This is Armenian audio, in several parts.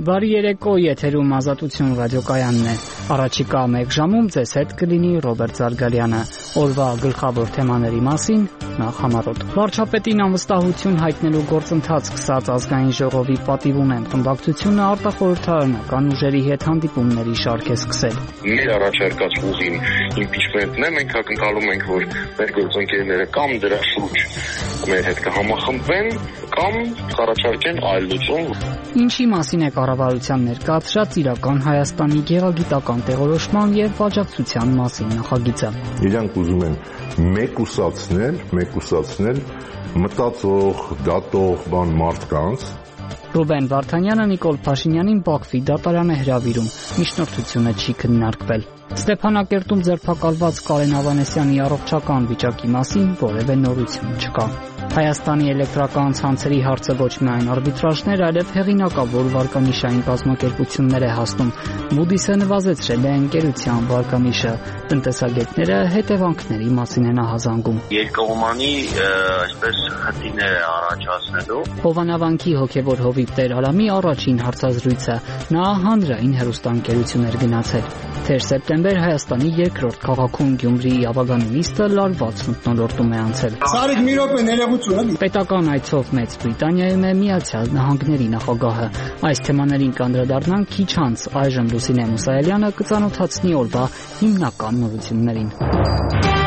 Բարի երեկո, եթերում Ազատություն ռադիոկայանն է։ Առաջիկա 1 ժամում ձեզ հետ կլինի Ռոբերտ Զարգալյանը։ Օրվա գլխավոր թեմաների մասին նախ համառոտ։ Վարչապետին անվստահություն հայտնելու գործընթաց սկսած ազգային ժողովի պատիվ ունեն խմբակցությունը արտախորհրդարանական ուժերի հետ հանդիպումների շարք է սկսել։ Մեր առաջարկած ուղին իմպիչմենտն է, մենք ակնկալում ենք, որ մեր գործընկերները կամ դրա շուրջ մեր հետ կհամախմբվեն, կամ կառաջարկեն այլ լուծում։ Ինչի մասին է կառավարության ներկայացրած իրական Հայաստանի գեղագիտական տեղորոշման եւ աջակցության մասին նախագիծը։ Իրանք ուզում են մեկուսացնել մտածող, դատող մարդկանց։ Ռուբեն Վարդանյանը Նիկոլ Փաշինյանին Բաքվի դատարան է հրավիրում, միջնորդությունը չի քննարկվել։ Ստեփանակերտում ձերբակալված Կարեն Ավանեսյանի առողջական վիճակի մասին որևէ նորություն չկա։ Հայաստանի էլեկտրական ցանցերի հարցը ոչ միայն արբիտրաժներ, այլև հեղինակավոր վարկանիշային կազմակերպություններ է հասնում։ Moody's-ը նվազեցրել է ընկերության վարկանիշը։ Տնտեսագետները հետևանքների մասին են ահազանգում։ Երկկողմանի այսպես խնդիրներ է առաջացնելու։ Հովանավանքի հոգևոր հովիվ Տեր Ալամի առաջին հարցազրույցը նա հանրային հեռուստաընկերություն էր գնացել։ Թեր սեպտեմբեր Հայաստանի երկրորդ քաղաքում Գյումրիի ավագանունիստը լարված մթնոլորտում է անցել։ Սարիկ մի րոպե ներողություն։ Պետական այցով Մեծ Բրիտանիայում է Միացյալ Նահանգների նախագահը։ Այս թեմաներին կանդրադառնանք քիչ անց, այժմ Լուսինե Մուսայելյանը կծանոթացնի օրվա հիմնական նորություններին։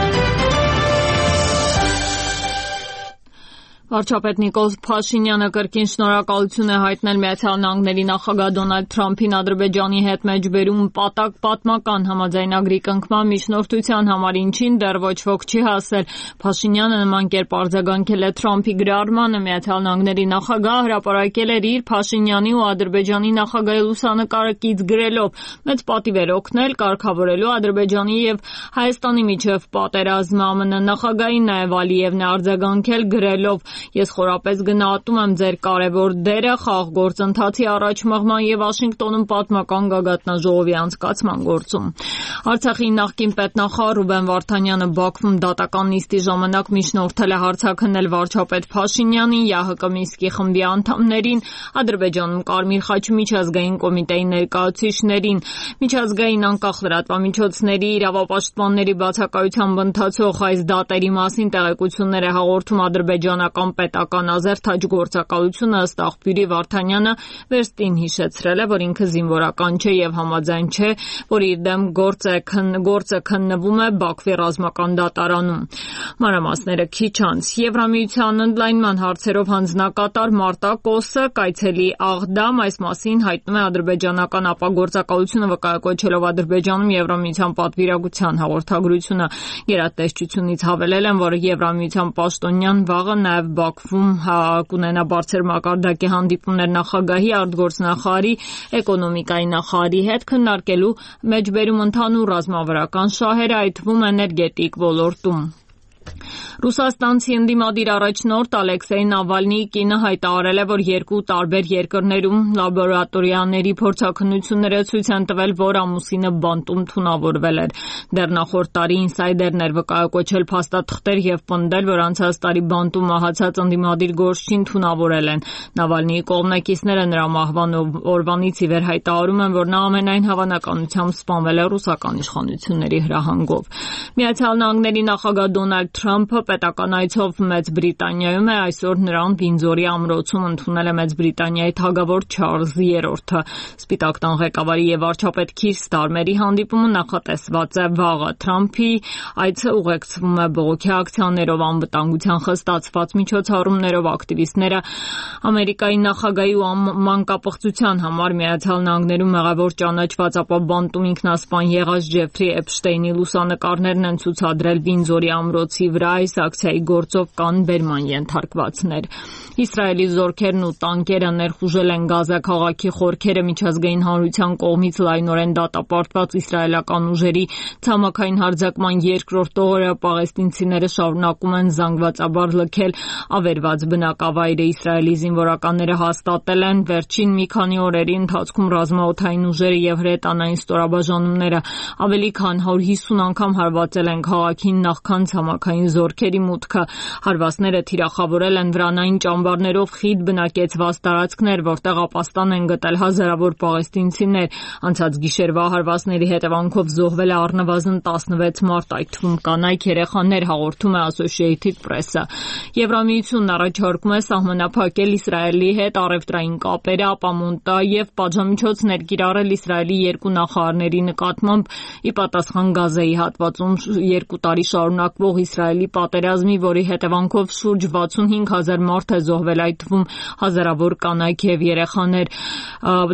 Վարչապետ Նիկոլ Փաշինյանը կրկին շնորհակալություն է հայտնել Միացյալ Նահանգների նախագահ Դոնալդ Թրամփին Ադրբեջանի հետ մեջբերում պատմական համաձայնագրի կնքման միջնորդության համար, ինչին դեռ ոչ ոք չի հասել։ Փաշինյանը նման կերպ արձագանքել է Թրամփի գրառմանը։ Միացյալ Նահանգների նախագահը հրապարակել էր իր Փաշինյանի ու Ադրբեջանի նախագահի լուսանկարը կից գրելով. «Մեծ պատիվ էր օգնել կարգավորելու Ադրբեջանի եւ Հայաստանի միջև պատերազմը»։ ԱՄՆ նախագահին նաեւ Ալիևն է արձագանքել գրելով. «Ես խորապես գնահատում եմ ձեր կարևոր դերը խաղաղ գործընթացի առաջ մղման եւ Վաշինգտոնում պատմական գագաթնաժողովի անցկացման գործում»։ Արցախի նախկին պետնախարար Ռուբեն Վարդանյանը Բաքվում դատական նիստի ժամանակ միջնորդել է հարցաքննել վարչապետ Փաշինյանին, ՀՀԿ Մինսկի խմբի անդամներին, Ադրբեջանում Կարմիր խաչի միջազգային կոմիտեի ներկայացուցիչներին։ Միջազգային անկախ լրատվամիջոցների իրավապաշտպանների բացակայությամբ ընթացող այս դատերի մասին տեղեկություններ է հաղորդում ադրբեջանական պետական ազերթաճ գործակալությունը։ Ըստ աղբյուրի Վարդանյանը վերստին հիշեցրել է, որ ինքը զինվորական չէ եւ համաձայն չէ, որ իր դեմ գործը քննվում է Բաքվի ռազմական դատարանում։ Մանրամասները քիչ անց։ Եվրամիության ընդլայնման հարցերով հանձնակատար Մարտա Կոսը կայցելի Աղդամ, այս մասին հայտնում է ադրբեջանական ապագործակալությունը, վկայակոչելով Ադրբեջանում Եվրամիության պատվիրակության հաղորդագրությունը։ Գերատեսչությունից հավելել են, որ Եվրամիության պաշտոնյան վաղը նաեւ Բաքվում կունենա բարձր մակարդակի հանդիպումներ նախագահի, արտգործնախարարի, էկոնոմիկայի նախարարի հետ քննարկելու մեջբերում ընդհանուր ռազմավարական շահերը, այդ թվում էներգետիկ ոլորտում։ Ռուսաստանցի ընդդիմադիր առաջնորդ Ալեքսեյ Նավալնիի կինը հայտարարել է, որ երկու տարբեր երկրներում լաբորատորիաների փորձաքննությունները ցույց են տվել, որ ամուսինը բանտում թունավորվել էր։ Դեռ նախորդ տարի ինսայդերն էր վկայակոչել փաստաթղթեր եւ պնդել, որ անցած տարի բանտում մահացած ընդդիմադիր գործչին թունավորել են։ Նավալնիի կողմնակիցները նրա մահվան օրվանից ի վեր հայտարարում են, որ նա ամենայն հավանականությամբ սպանվել է ռուսական իշխանությունների հրահանգով։ Միացյալ Նահանգների նախագահ Դոնալդ Թրամփը պետական այցով Մեծ Բրիտանիայում է, այսօր նրան Վինձորի ամրոցում ընդունել է Մեծ Բրիտանիայի թագավոր Չարլզ III։ Սպիտակ տան ղեկավարի եւ վարչապետ Քիր Ստարմերի հանդիպումը նախատեսված է վաղը։ Թրամփի այցը ուղեկցվում է բողոքի ակցիաներով, անվտանգության խստացված միջոցառումներով, ակտիվիստները Ամերիկայի նախագահի ու մանկապղծության համար Միացյալ Նահանգներում մեղավոր ճանաչված, ապա բանտում ինքնասպան եղած Ջեֆրի Էփշտեյնի լուսանկարներն են ցուցադրել Վինձորի ամրոցի վրա։ Այս ակցիայի գործով կան բերման ենթարկվածներ։ Իսրայելի զորքերն ու տանկերը ներխուժել են Գազա քաղաքի խորքերը, միջազգային հանրության կողմից լայնորեն դատապարտված իսրայելական ուժերի ցամաքային հարձակման երկրորդ օրը պաղեստինցիները շարունակում են զանգվածաբար լքել ավերված բնակավայրը։ Իսրայելի զինվորականները հաստատել են վերջին մի քանի օրերի ընթացքում ռազմաօդային ուժերը եւ հրետանային ստորաբաժանումները ավելի քան 150 անգամ հարվածել են քաղաքին, նախքան ցամաքային հրթիռային զորքերի մուտքը։ Հարվածները թիրախավորել են վրանային ճամբարներով խիտ բնակեցված տարածքներ, որտեղ ապաստան են գտել հազարավոր պաղեստինցիներ։ Անցած գիշերվա հարվածների հետևանքով զոհվել է առնվազն 16 մարդ, այդ թվում կանայք, երեխաներ, հաղորդում է Associated Press-ը։ Եվրամիությունն առաջարկում է սահմանափակել Իսրայելի հետ առևտրային կապերը, ապամոնտա եւ պատժամիջոցներ կիրառել Իսրայելի երկու նախարարների նկատմամբ ի պատասխան Գազայի հատվածում 2 տարի շարունակվող Իսրայելի պատերազմի, որի հետևանքով շուրջ 65,000 մարդ է զոհվել, այդ թվում հազարավոր կանայք եւ երեխաներ։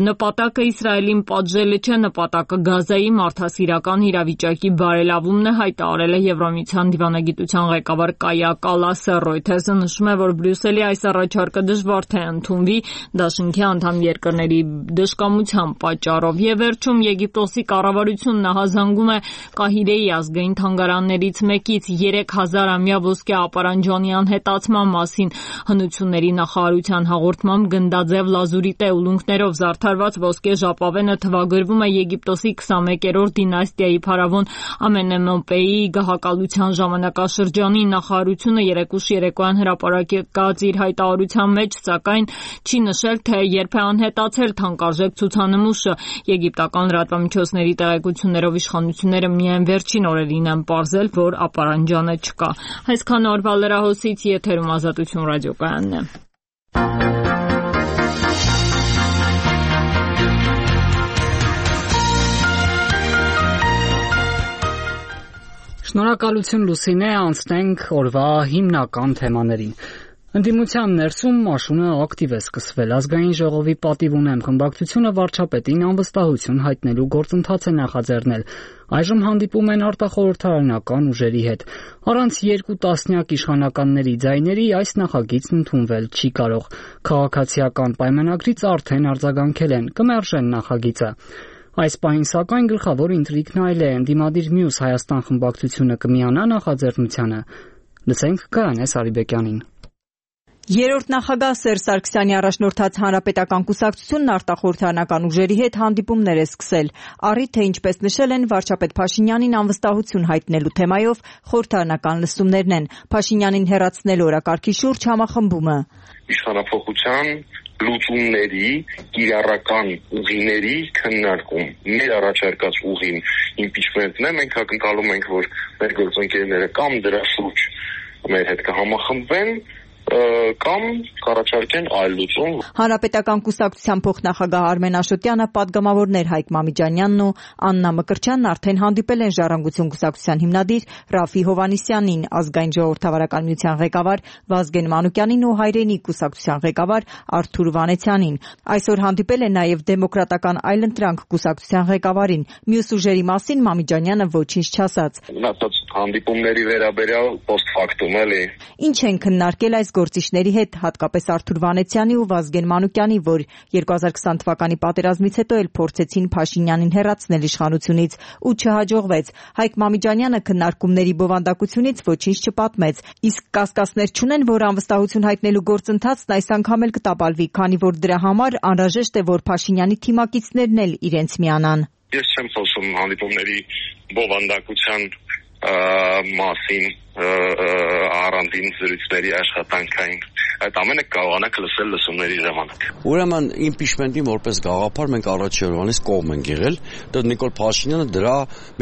Նպատակը Իսրայելին պատժելը չէ, նպատակը Գազայի մարդասիրական իրավիճակի բարելավումն է, հայտարարել է Եվրամիության դիվանագիտության ղեկավար Կայա Կալասը։ Reuters-ը նշում է, որ Բրյուսելի այս առաջարկը դժվար թե ընդունվի դաշինքի անդամ երկրների դժկամության պատճառով։ Եվ վերջում Եգիպտոսի կառավարությունն ահազանգում է Կահիրեի ազգային թանգարաններից մեկից 3000-ամյա ոսկե ապարանջանի անհետացման մասին։ Հնությունների նախարարության հաղորդմամբ գնդաձև լազուրիտե ուլունքներով զարդարված ոսկե ժապավենը թվագրվում է Եգիպտոսի 21-րդ դինաստիայի փարավոն Ամենեմոպեի գահակալության ժամանակաշրջանին։ Նախարարությունը երեկուշ երեկոյան հրապարակած իր հայտարարության մեջ, սակայն չի նշել, թե երբ է անհետացել թանկարժեք ցուցանմուշը։ Եգիպտական լրատվամիջոցների տեղեկություններով իշխանությունները միայն վերջին օրերին են պարզել, որ ապարանջանը չկա։ Այսքան օրվա լրահոսից եթերում Ազատություն ռադիոկայանն է։ Շնորհակալություն Լուսինե, անցնենք օրվա հիմնական թեմաներին։ Ընդդիմության ներսում մաշունը ակտիվ է սկսվել։ Ազգային ժողովի պատիվ ունեմ խմբակցությունը վարչապետին անվստահություն հայտնելու գործընթաց է նախաձեռնել։ Այժմ հանդիպում են արտախորհրդարանական ուժերի հետ։ Առանց 2 տասնյակ իշխանականների ձայների այս նախագիծն ընդունվել չի կարող։ Քաղաքացիական պայմանագրից արդեն արձագանքել են, կմերժեն նախագիծը։ Այս պահին սակայն գլխավոր ինտրիգն այլ է, ընդդիմադիր մյուս Հայաստան խմբակցությունը կմիանա նախաձեռնությանը։ Լսենք Գայանե Սարիբեկյանին։ Երրորդ նախագահ Սերժ Սարգսյանի առաջնորդած Հանրապետական կուսակցությունն արտախորհրդարանական ուժերի հետ հանդիպումներ է սկսել։ Առիթ թե ինչպես նշել են, վարչապետ Փաշինյանին անվստահություն հայտնելու թեմայով խորհրդարանական լսումներն են։ Փաշինյանին հեռացնել օրակարգի շուրջ համախմբումը։ Իշխանափոխության լուծումների, կիրառական ուղիների քննարկում։ Մեր առաջարկած ուղին իմպիչմենտն է, մենք ակնկալում ենք, որ մեր գործընկերները կամ դրա շուրջ մեր հետ կհամախմբվեն, կամ կառաջարկեն այլ լուծում։ Հանրապետական կուսակցության փոխնախագահ Արմեն Աշոտյանը, պատգամավորներ Հայկ Մամիջանյանն ու Աննա Մկրտչյանն արդեն հանդիպել են Ժառանգություն կուսակցության հիմնադիր Ռաֆի Հովհաննիսյանին, Ազգային ժողովրդավարական միության ղեկավար Վազգեն Մանուկյանին ու Հայրենիք կուսակցության ղեկավար Արթուր Վանեցյանին։ Այսօր հանդիպել են նաև Դեմոկրատական այլընտրանք կուսակցության ղեկավարին։ Մյուս ուժերի մասին Մամիջանյանը ոչինչ չասաց։ Մնացած հանդիպումների վերաբերյալ post factum էլի։ Ինչ են քննարկել այս գործիչների հետ, հատկապես Արթուր Վանեցյանի ու Վազգեն Մանուկյանի, որ 2020 թվականի պատերազմից հետո էլ փորձեցին Փաշինյանին հեռացնել իշխանությունից ու չհաջողվեց։ Հայկ Մամիջանյանը քննարկումների բովանդակությունից ոչինչ չպատմեց, իսկ կասկածներ չունեն, որ անվստահություն հայտնելու գործընթացն այս անգամ էլ կտապալվի, քանի որ դրա համար անհրաժեշտ է, որ Փաշինյանի թիմակիցներն էլ իրենց միանան։ Ես չեմ խոսում հանդիպումների բովանդակության մասին, առանձին զրույցների աշխատանքային։ Այդ ամենը կարողանաք լսել լսումների ժամանակ։ Ուրեմն իմպիչմենտին որպես գաղափար մենք առաջ Երևանից կողմ ենք եղել, դա Նիկոլ Փաշինյանը դրա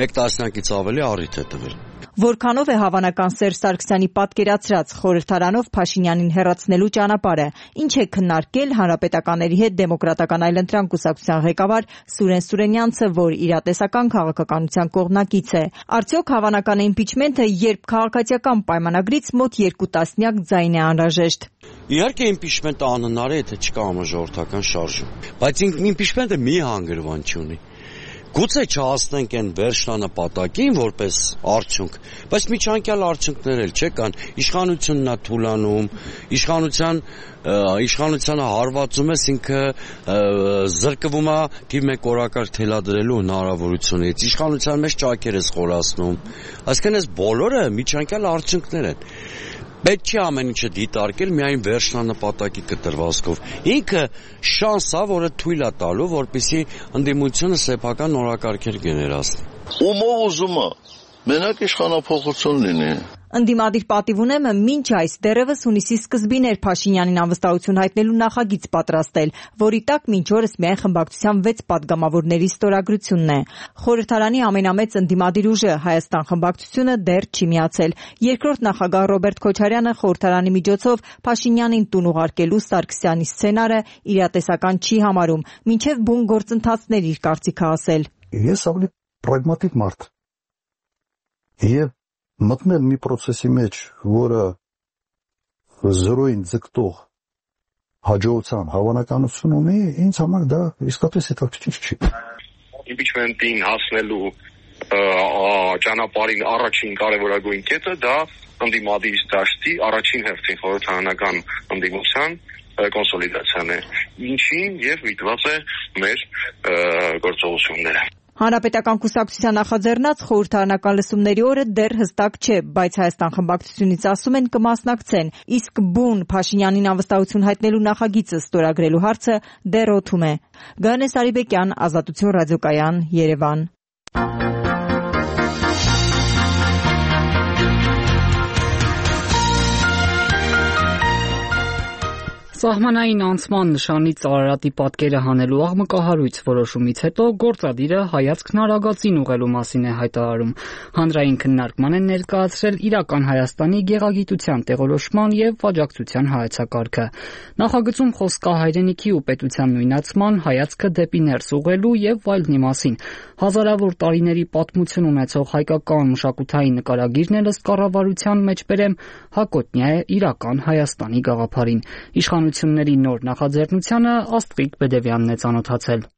1 տասնյակից ավելի առիթ է տվել։ Որքանով է հավանական Սերժ Սարգսյանի պատկերացրած խորհրդարանով Փաշինյանին հեռացնելու ճանապարհը, ինչ է քննարկել հանրապետականների հետ Դեմոկրատական այլընտրանք կուսակցության ղեկավար Սուրեն Սուրենյանցը, որ իրատեսական քաղաքականության կողմնակից է։ Արդյոք հավանական է իմպիչմենտը, երբ քաղաքացիական պայմանագրից մոտ 2 տասնյակ ձայն է անհրաժեշտ։ Իհարկե իմպիչմենտը անհնար է, եթե չկա համաժողովրդական շարժում, բայց իմպիչմենտը մի հանգրվան չունի։ Գուցե չհասնենք այն վերջնանպատակին որպես արդյունք, բայց միջանկյալ արդյունքներ էլ չկան։ Իշխանությունն է թուլանում, իշխանությանը հարվածում ես, ինքը զրկվում է թիվ 1 օրակարգ թելադրելու հնարավորությունից, իշխանության մեջ ճակեր ես խորացնում։ Այսինքն այս բոլորը միջանկյալ արդյունքներ են։ Պետք չի ամեն ինչը դիտարկել միայն վերջնանպատակի կտրվածքով։ Ինքը շանս է, որը թույլ է տալու, որպեսզի ընդդիմությունը սեփական օրակարգեր գեներացնի։ Ումով ուզում է մենակ իշխանափոխություն լինի։ Ընդդիմադիր պատիվ ունեմ մինչ այս դեռևս հունիսի սկզբին էր Փաշինյանին անվստահություն հայտնելու նախագիծ պատրաստել, որի տակ մինչ օրս միայն խմբակցության 6 պատգամավորների ստորագրությունն է։ Խորհրդարանի ամենամեծ ընդդիմադիր ուժը Հայաստան խմբակցությունը դեռ չի միացել։ Երկրորդ նախագահ Ռոբերտ Քոչարյանը խորհրդարանի միջոցով Փաշինյանին տուն ուղարկելու Սարգսյանի սցենարը իրատեսական չի համարում, մինչև բուն գործընթացներ իր կարծիքը ասել։ Ես ավելի պրագմատիկ մարդ եմ։ Մտնել մի process-ի մեջ, որը զրոյին ձգտող հաջողության հավանականություն ունի, ինձ համար դա իսկապես հետաքրքիր չի։ Impeachment-ին հասնելու ճանապարհին առաջին կարևորագույն կետը դա ընդդիմադիր դաշտի առաջին հերթին խորհրդարանական ընդդիմության կոնսոլիդացիան է, ինչին եւ միտված է մեր գործողությունները։ Հանրապետական կուսակցության նախաձեռնած խորհրդարանական լսումների օրը դեռ հստակ չէ, բայց Հայաստան խմբակցությունից ասում են կմասնակցեն, իսկ բուն Փաշինյանին անվստահություն հայտնելու նախագիծը ստորագրելու հարցը դեռ օդում է։ Գայանե Սարիբեկյան, Ազատություն ռադիոկայան, Երևան։ Սահմանային անցման նշանից Արարատի պատկերը հանելու աղմկահարույց որոշումից հետո գործադիրը հայացքն Արագածին ուղղելու մասին է հայտարարում։ Հանրային քննարկման են ներկայացրել իրական Հայաստանի գեղագիտության տեղորոշման եւ աջակցության հայեցակարգը։ Նախագծում խոսք կա հայրենիքի ու պետության նույնացման, հայացքը դեպի ներս ուղղելու եւ այլնի մասին։ Հազարավոր տարիների պատմություն ունեցող հայկական մշակութային նկարագիրն էլ ըստ կառավարության մեջ բերեմ հակոտնյա է իրական Հայաստանի գաղափարին։ Իշխանությունների նոր նախաձեռնությանը Աստղիկ Բեդևյանն է ծանոթացել։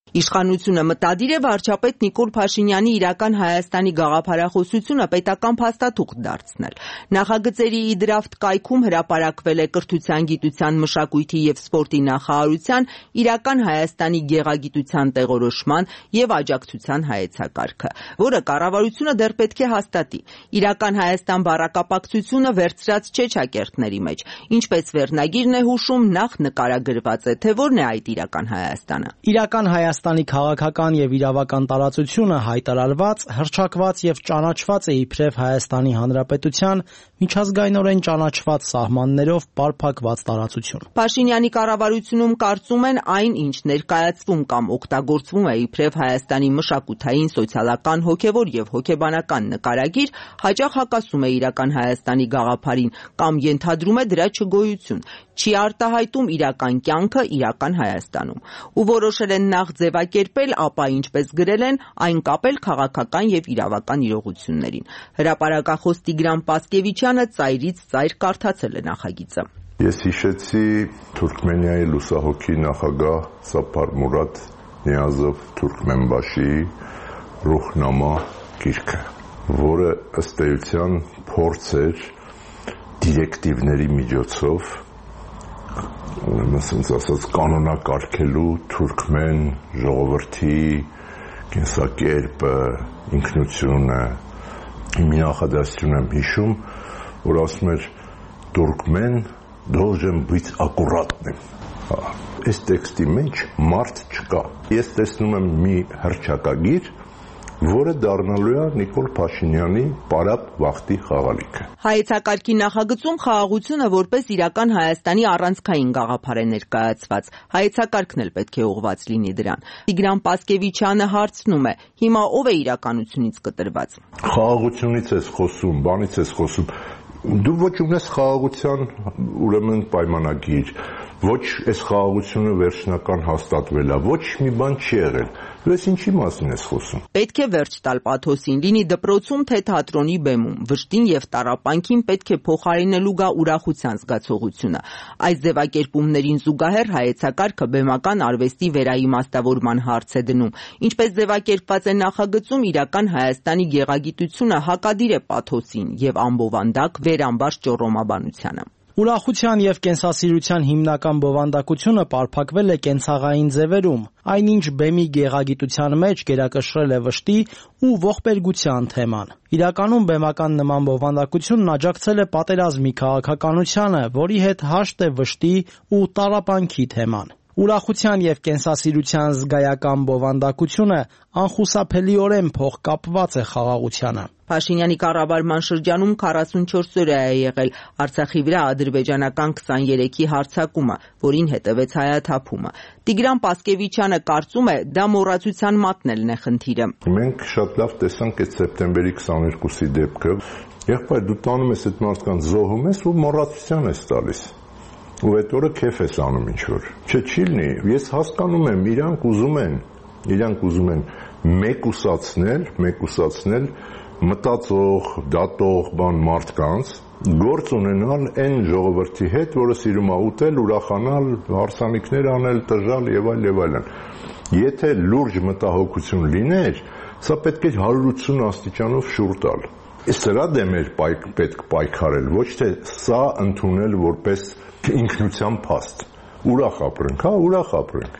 Իշխանությունը մտադիր է վարչապետ Նիկոլ Փաշինյանի իրական Հայաստանի գաղափարախոսությունը պետական փաստաթուղթ դարձնել։ Նախագծերի դրաֆտ կայքում հրապարակվել է Կրթության, գիտության, մշակույթի եւ սպորտի նախարարության իրական Հայաստանի գեղագիտության տեղորոշման եւ աջակցության հայեցակարգը, որը կառավարությունը դեռ պետք է հաստատի։ Իրական Հայաստան բառակապակցությունը վերցրած չէ ճակերտների մեջ, ինչպես վերնագիրն է հուշում, նախ նկարագրված է, թե որն է այդ իրական Հայաստանը։ Իրական Հայաստանի քաղաքական եւ իրավական տարածությունը հայտարարված, հռչակված եւ ճանաչված է իբրև Հայաստանի Հանրապետության միջազգայինորեն ճանաչված սահմաններով պարփակված տարածություն։ Փաշինյանի կառավարությունում կարծում են այն, ինչ ներկայացվում կամ օգտագործվում է իբրև Հայաստանի մշակութային, սոցիալական, հոգեվոր եւ հոգեբանական նկարագիր, հաճախ հակասում է իրական Հայաստանի գաղափարին կամ ենթադրում է դրա չգոյություն, չի արտահայտում իրական կյանքը իրական Հայաստանում։ Ու որոշել են նախ ձևակերպել, ապա ինչպես գրել են, այն կապել քաղաքական եւ իրավական իրողություններին։ Հրապարակախոս Տիգրան Պասկևիչյանը ծայրից ծայր կարդացել է նախագիծը։ Ես հիշեցի Թուրքմենիայի լուսահոգի նախագահ Սափար Մուրադ Նիազով Թուրքմենբաշի Ռուհնամա գիրքը, որը ըստ էության փորձ էր դիրեկտիվների միջոցով ասենց ասած կանոնակարգելու թուրքմեն ժողովրդի կենսակերպը, ինքնությունը։ Մի նախադասություն եմ հիշում, որ ասում էր «Թուրքմեն должен быть аккуратным»։ Այս տեքստի մեջ մարդ չկա։ Ես տեսնում եմ մի հռչակագիր, որը դառնալու է Նիկոլ Փաշինյանի պարապ վախտի խաղալիքը։ Հայեցակարգի նախագծում խաղաղությունը որպես իրական Հայաստանի առանցքային գաղափար է ներկայացված։ Հայեցակարգն էլ պետք է ուղղված լինի դրան։ Տիգրան Պասկևիչյանը հարցնում է. հիմա ով է իրականությունից կտրված։ Խաղաղությունից ես խոսում, բանից ես խոսում։ Դու ոչ ունես խաղաղության ուրեմն պայմանագիր, ոչ այս խաղաղությունը վերջնական հաստատվել է, ոչ մի բան չի եղել։ Դու ես ինչի մասին ես խոսում։ Պետք է վերջ տալ պաթոսին, լինի դպրոցում, թե թատրոնի բեմում, վշտին եւ տառապանքին պետք է փոխարինելու գա ուրախության զգացողությունը։ Այս ձևակերպումներին զուգահեռ հայեցակարգը բեմական արվեստի վերաիմաստավորման հարց է դնում։ Ինչպես ձևակերպված է նախագծում, իրական Հայաստանի գեղագիտությունը հակադիր է պաթոսին եւ ամբովանդակ վերամբարձ ճոռոմաբանությանը։ Ուրախության եւ կենսասիրության հիմնական բովանդակությունը պարփակվել է կենցաղային ձևերում, այնինչ բեմի գեղագիտության մեջ գերակշռել է վշտի ու ողբերգության թեման։ Իրականում բեմական նման բովանդակությունն աջակցել է պատերազմի քաղաքականությանը, որի հետ հաշտ է վշտի ու տառապանքի թեման։ Ուրախության եւ կենսասիրության զգայական բովանդակությունը անխուսափելիորեն փոխկապված է խաղաղությանը։ Փաշինյանի կառավարման շրջանում 44 օր է եղել Արցախի վրա ադրբեջանական 23-ի հարձակումը, որին հետևեց հայաթափումը։ Տիգրան Պասկևիչյանը կարծում է, դա մոռացության մատնելն է խնդիրը։ Մենք շատ լավ տեսանք այդ սեպտեմբերի 22-ի դեպքը։ Եղբայր, դու տանում ես այդ մարդկանց զոհում ես ու մոռացության ես տալիս։ Ու այդ օրը քեֆ ես անում ինչ-որ։ Չի լինի, ես հասկանում եմ, իրանք ուզում են մեկուսացնել մտածող, դատող մարդկանց, գործ ունենալ այն ժողովրդի հետ, որը սիրում է ուտել, ուրախանալ, հարսանիքներ անել, տժալ եւ այլն։ Եթե լուրջ մտահոգություն լիներ, սա պետք է 180 աստիճանով շուռ տալ։ Սրա դեմ էր պետք պայքարել, ոչ թե սա ընդունել որպես ինքնության փաստ։ Ուրախ ապրենք։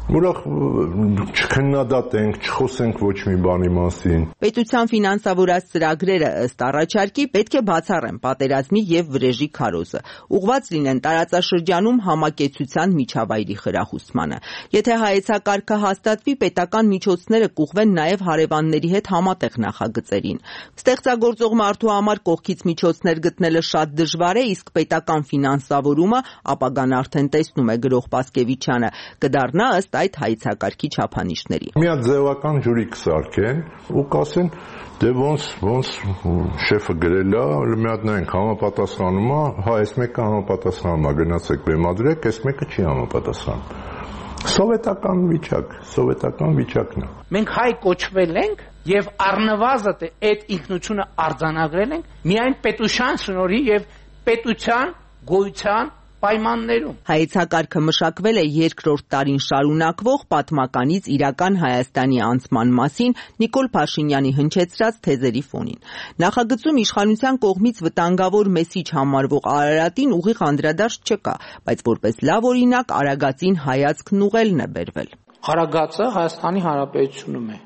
Ուրախ չքննադատենք, չխոսենք ոչ մի բանի մասին։ Պետության ֆինանսավորած ծրագրերը ըստ առաջարկի պետք է բացառեն պատերազմի եւ վրեժի քարոզը, ուղղված լինեն տարածաշրջանում համակեցության միջավայրի խրախուսմանը։ Եթե հայեցակարգը հաստատվի, պետական միջոցները կուղղվեն նաեւ հարևանների հետ համատեղ նախագծերին։ Ստեղծագործող մարդու համար կողքից միջոցներ գտնելը շատ դժվար է, իսկ պետական ֆինանսավորումը ապագան արդեն տեսնում է գրող Պասկևիչյանը, կդառնա ըստ այդ հայեցակարգի չափանիշների։ Մի հատ ձևական ջուրի կսարքեն ու կասեն, դե ոնց շեֆը գրել է, մի հատ նայենք համապատասխանում է, այս մեկը համապատասխանում է, գնացեք բեմադրեք, այս մեկը չի համապատասխանում։ Սովետական վիճակն է։ Մենք հայ կոչվել ենք եւ առնվազն այդ ինքնությունը արձանագրել ենք միայն պետության շնորհի եւ պետության գոյության պայմաններում։ Հայեցակարգը մշակվել է երկրորդ տարին շարունակվող պատմականից իրական Հայաստանի անցման մասին Նիկոլ Փաշինյանի հնչեցրած թեզերի ֆոնին։ Նախագծում իշխանության կողմից վտանգավոր մեսիջ համարվող Արարատին ուղիղ անդրադարձ չկա, բայց որպես լավ օրինակ Արագածին հայացքն ուղղելն է բերվել։ Արագածը Հայաստանի Հանրապետությունում է։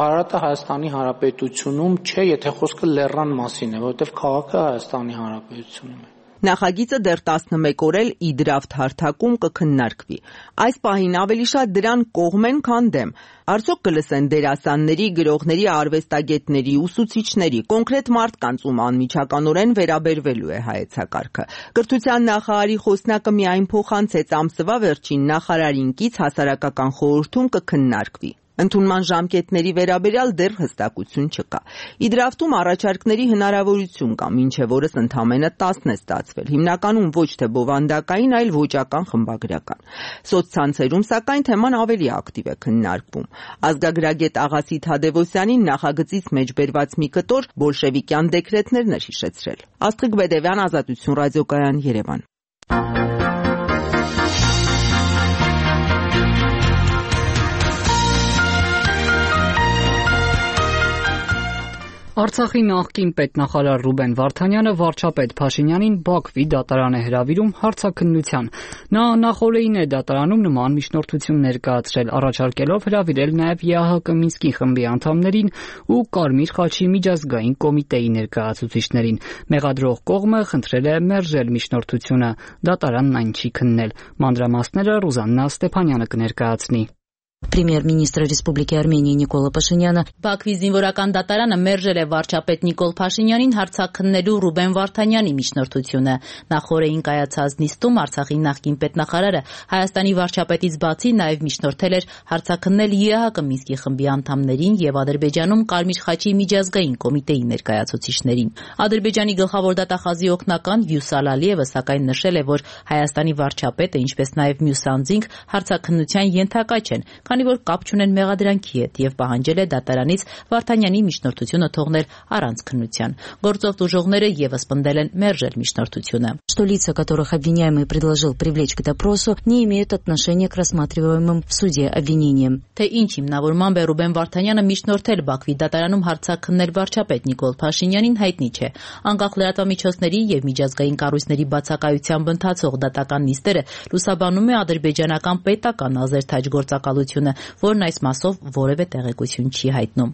Արարատը Հայաստանի Հանրապետությունում չէ, եթե խոսքը Լեռան մասին է, որովհետև քաղաքը Հայաստանի Հանրապետությունում է։ Նախագիծը դեռ 11 օր էլ իդրավթ հարթակում կքննարկվի։ Այս պահին ավելի շատ դրան կողմ են, քան դեմ։ Արդյոք կլսեն դերասանների, գրողների, արվեստագետների, ուսուցիչների, կոնկրետ մարդկանց, ում անմիջականորեն վերաբերվելու է հայեցակարգը։ Կրթության նախարարի խոսնակը միայն փոխանցեց ամսվա վերջին նախարարին կից հասարակական խորհրդում կքննարկվի։ Ընդունման ժամկետների վերաբերյալ դեռ հստակություն չկա։ Իդրավթում առաջարկների հնարավորություն կա, մինչև օրս ընդամենը 10 է ստացվել, հիմնականում ոչ թե բովանդակային, այլ ոճական խմբագրական։ Սոցցանցերում, սակայն, թեման ավելի ակտիվ է քննարկվում։ Ազգագրագետ Աղասիթ Թադևոսյանին նախագծից մեջ բերված մի կտոր բոլշևիկյան դեկրետներն էր հիշեցրել։ Աստղիկ Բեդևյան, Ազատություն ռադիոկայան, Երևան։ Արցախի նախկին պետնախարար Ռուբեն Վարդանյանը վարչապետ Փաշինյանին Բաքվի դատարան է հրավիրում հարցաքննության։ Նա նախօրեին է դատարանում նման միջնորդություն ներկայացրել, առաջարկելով հրավիրել նաև ԵԱՀԿ Մինսկի խմբի անդամներին ու Կարմիր խաչի միջազգային կոմիտեի ներկայացուցիչներին։ Մեղադրող կողմը խնդրել է մերժել միջնորդությունը։ Դատարանն այն չի քննել։ Մանրամասները Ռուզաննա Ստեփանյանը կներկայացնի։ Պրեմիեր-մինիստրը Ռեսպուբլիկայի Արմենիայի Նիկոլա Փաշինյանը Բաքվի զինվորական դատարանը մերժել է վարչապետ Նիկոլ Փաշինյանին հարցաքննելու Ռուբեն Վարդանյանի միջնորդությունը։ Նախօրեին կայացած նիստում Արցախի նախկին պետնախարարը Հայաստանի վարչապետից բացի նաև միջնորդել էր հարցաքննել ԵԱՀԿ Մինսկի խմբի անդամներին եւ Ադրբեջանում Կարմիր խաչի միջազգային կոմիտեի ներկայացուցիչներին։ Ադրբեջանի գլխավոր դատախազի օգնական Վյուսալ Ալիևը սակայն նշել է, որ Հայաստանի վարչապետը, ինչպես նաև մյուս անձինք հարցաքննության ենթակա չեն, քանի որ կապ չունեն մեղադրանքի հետ եւ պահանջել է դատարանից Վարդանյանի միջնորդությունը թողնել առանց քննության։ Գործով տուժողները եւս պնդել են մերժել միջնորդությունը։ Что лица, которых обвиняемый предложил привлечь к допросу, не имеют отношения к рассматриваемым в суде обвинениям. Թե ինչ հիմնավորմամբ է Ռուբեն Վարդանյանը միջնորդել Բաքվի դատարանում հարցաքննել վարչապետ Նիկոլ Փաշինյանին հայտնի չէ։ Անկախ լրատվամիջոցների եւ միջազգային կառույցների բացակայությամբ ընթացող դատական նիստերը լուսաբանում է ադրբեջանական պետական ազերթաջ գործակալությունը միջնորդությունը, որն այս մասով որևէ տեղեկություն չի հայտնում։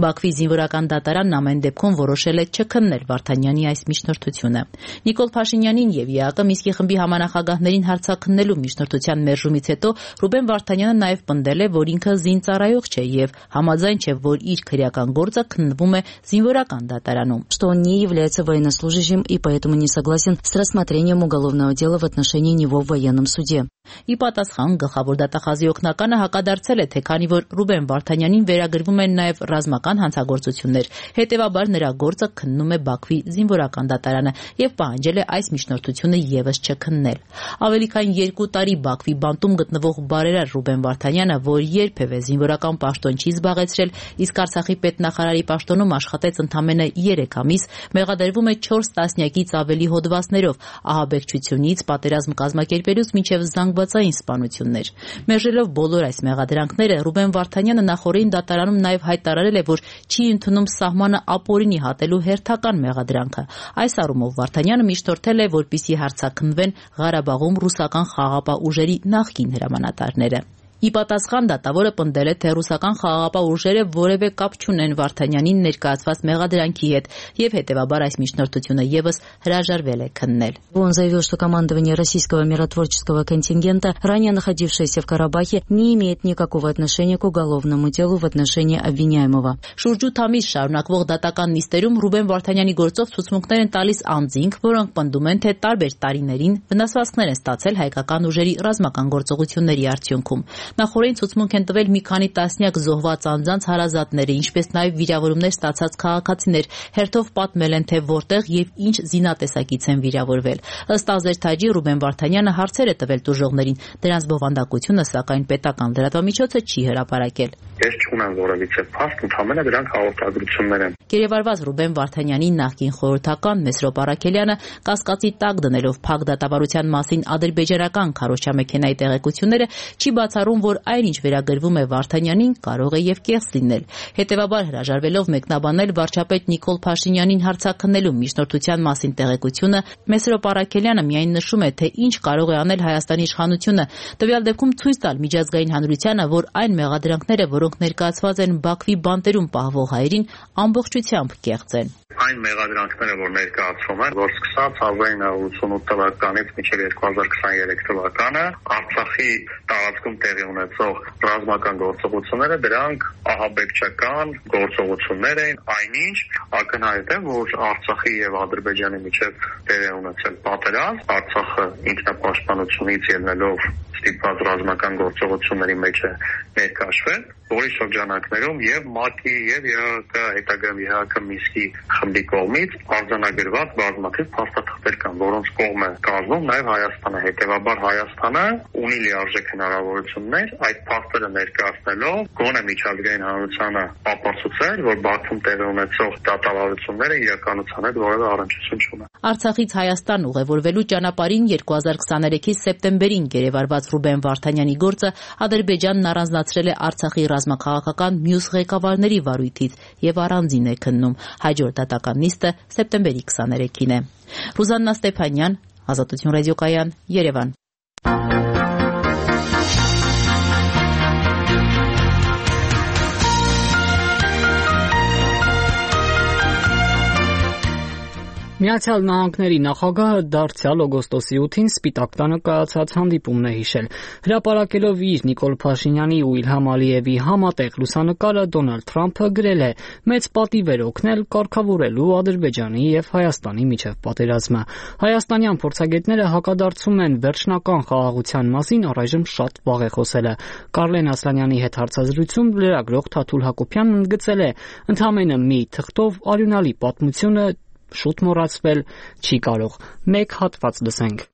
Բաքվի զինվորական դատարանն ամեն դեպքում որոշել է չքննել Վարդանյանի այս միջնորդությունը։ Նիկոլ Փաշինյանին եւ ԵԱԿ Մինսկի խմբի համանախագահներին հարցաքննելու միջնորդության մերժումից հետո Ռուբեն Վարդանյանը նաեւ պնդել է, որ ինքը զինծառայող չէ եւ համաձայն չէ, որ իր քրեական գործը քննվում է զինվորական դատարանում, что он не является военнослужащим и поэтому не согласен с рассмотрением уголовного дела в отношении него в военном суде. Ի պատասխան գլխավոր դատախազի օգնականը հակադարձել է, թե քանի որ Ռուբեն Վարդանյանին վերագրվում են նաև ռազմական հանցագործություններ, հետևաբար նրա գործը քննում է Բաքվի զինվորական դատարանը եւ պահանջել է այս միջնորդությունը եւս չքննել։ Ավելի քան 2 տարի Բաքվի բանտում գտնվող բարերար Ռուբեն Վարդանյանը, որ երբևէ զինվորական պաշտոն չի զբաղեցրել, իսկ Արցախի պետնախարարի պաշտոնում աշխատեց ընդամենը 3 ամիս, մեղադրվում է 4 տասնյակից ավելի հոդվածներով, ահաբեկչությունից, պատերազմ կազմակերպելուց մինչև զանգվածային սպանություններ։ Մերժելով բոլոր այս մեղադրանքները, Ռուբեն Վարդանյանը նախորդին դատարանում նաև հայտարարել է, որ չի ընդունում սահմանը ապօրինի հատելու հերթական մեղադրանքը։ Այս առումով Վարդանյանը միջնորդել է, որպեսզի հարցաքննվեն Ղարաբաղում ռուսական խաղաղապահ ուժերի նախկին հրամանատարները։ Ի պատասխան դատավորը պնդել է, թե ռուսական խաղաղապահ ուժերը որևէ կապ չունեն Վարդանյանին ներկայացված մեղադրանքի հետ եւ հետեւաբար այս միջնորդությունը եւս հրաժարվել է քննել։ Он заявил, что командование российского миротворческого контингента, ранее находившееся в Карабахе, не имеет никакого отношения к уголовному делу в отношении обвиняемого. Շուրջ 8 ամիս շարունակվող դատական նիստերում Ռուբեն Վարդանյանի գործով ցուցմունքներ են տալիս անձինք, որոնք պնդում են, թե տարբեր տարիներին վնասվածքներ են ստացել հայկական ուժերի ռազմական գործողությունների արդյունքում։ Նախորդին ցուցմունք են տվել մի քանի տասնյակ զոհված անձանց հարազատները, ինչպես նաև վիրավորումներ ստացած քաղաքացիներ, հերթով պատմել են, թե որտեղ եւ ինչ զինատեսակից են վիրավորվել։ Ըստ Ազերթաջի Ռուբեն Վարդանյանը հարցեր է տվել տուժողներին, դրանց բովանդակությունը սակայն պետական լրատվամիջոցը չի հրապարակել։ Ես չունեմ որևիցե փաստ, ընդհանրապես դրանք հաղորդագրություններ են։ Գերեվարված Ռուբեն Վարդանյանի նախկին խորհրդական Մեսրոպ Արաքելյանը կասկածի տակ դնելով փակ դատավարության մասին ադրբեջանական քարոզչամեքենայի տեղեկությունները չի բացառում, որ այնինչ վերագրվում է Վարդանյանին կարող է եւ կեղծ լինել։ Հետևաբար հրաժարվելով մեկնաբանել վարչապետ Նիկոլ Փաշինյանին հարցաքննելու միջնորդության մասին տեղեկությունը, Մեսրոպ Արաքելյանը միայն նշում է, թե ինչ կարող է անել Հայաստանի իշխանությունը, տվյալ դեպքում ցույց տալ միջազգային հանրությանը, որ այն մեղադրանքները, որոնք ներկայացված են Բաքվի բանտերում պահվող հայերին, ամբողջությամբ կեղծ են։ Այն մեղադրանքները, որ ներկայացվում են, որ սկսած 1988 թվականից մինչև 2023 թվականը Արցախի տարածքում տեղի ունեցող ռազմական գործողությունները, դրանք ահաբեկչական գործողություններ են, այնինչ ակնհայտ է, որ Արցախի եւ Ադրբեջանի միջև տեղի ունեցել պատերազմ, Արցախը ինքնապաշտպանությունից ելնելով ստիպված ռազմական գործողությունների մեջ է ներկայացվել, որի շրջանակներում եւ ՄԱԿ-ի եւ ԵԱՀԿ հետագայում ԵԱՀԿ Մինսկի խմբի կողմից արձանագրված բազմաթիվ փաստաթղթեր կան, որոնց կողմ է կազմում նաեւ Հայաստանը։ Հետևաբար Հայաստանը ունի լիարժեք հնարավորություններ այդ փաստերը ներկայացնելով գոնե միջազգային հանրությանը ապացուցել, որ Բաքվում տեղի ունեցող դատավարությունները իրականության հետ որևէ առնչություն չունեն։ Արցախից Հայաստան ուղևորվելու ճանապարհին 2023-ի սեպտեմբերին գերեվարված Ռուբեն Վարդանյանի գործը Ադրբեջանն առանձնացրել է Արցախի ռազմաքաղաքական մյուս ղեկավարների վարույթից եւ առանձին է քննում։ Հաջորդ դատական նիստը սեպտեմբերի 23-ին է։ Ռուզաննա Ստեփանյան, Ազատություն ռադիոկայան, Երևան։ Միացյալ Նահանգների նախագահը դարձյալ օգոստոսի 8-ին Սպիտակ տանը կայացած հանդիպումն է հիշել։ Հրապարակելով իր Նիկոլ Փաշինյանի ու Իլհամ Ալիևի համատեղ լուսանկարը, Դոնալդ Թրամփը գրել է. «Մեծ պատիվ էր օգնել կարգավորելու Ադրբեջանի եւ Հայաստանի միջև պատերազմը։ Հայաստանյան փորձագետները հակադարձում են վերջնական խաղաղության մասին առայժմ շատ վաղ է խոսելը»։ Կարլեն Ասլանյանի հետ հարցազրույցում լրագրող Թաթուլ Հակոբյանն ընդգծել է. «Ընդամենը մի թղթով արյունալի պատմությունը շուտ մոռացվել չի կարող»։ Մեկ հատված լսենք։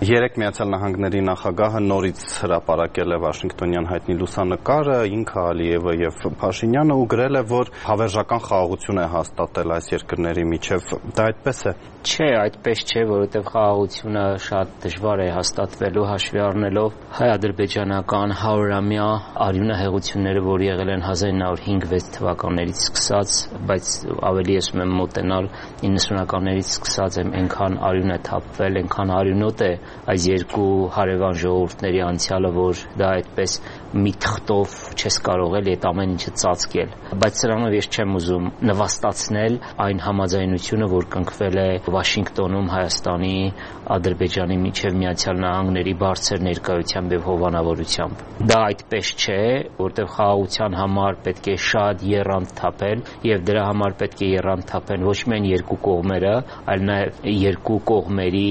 Երեք Միացյալ Նահանգների նախագահը նորից հրապարակել է Վաշինգտոնյան հայտնի լուսանկարը, ինքը Ալիևը եւ Փաշինյանը, ու գրել է, որ հավերժական խաղաղություն է հաստատել այս երկրների միջև։ Դա այդպես է։ Չէ, այդպես չէ, որովհետեւ խաղաղությունը շատ դժվար է հաստատվելու հաշվի առնելով հայ-ադրբեջանական 100-ամյա արյունահեղությունները, որ եղել են 1905-6 թվականներից սկսած, բայց ավելի ես մոտենալ 90-ականներից սկսած այնքան արյուն է թափվել, այնքան արյունոտ է այս երկու հարևան ժողովուրդների անցյալը, որ դա այդպես մի թղթով չես կարող էլի այդ ամեն ինչը ծածկել, բայց սրանով ես չեմ ուզում նվաստացնել այն համաձայնությունը, որ կնքվել է Վաշինգտոնում Հայաստանի, Ադրբեջանի միջև Միացյալ Նահանգների բարձր ներկայությամբ եւ հովանավորությամբ։ Դա այդպես չէ, որտեղ խաղաղության համար պետք է շատ եռանդ թափել եւ դրա համար պետք է եռանդ թափեն ոչ միայն երկու կողմերը, այլ նաեւ երկու կողմերի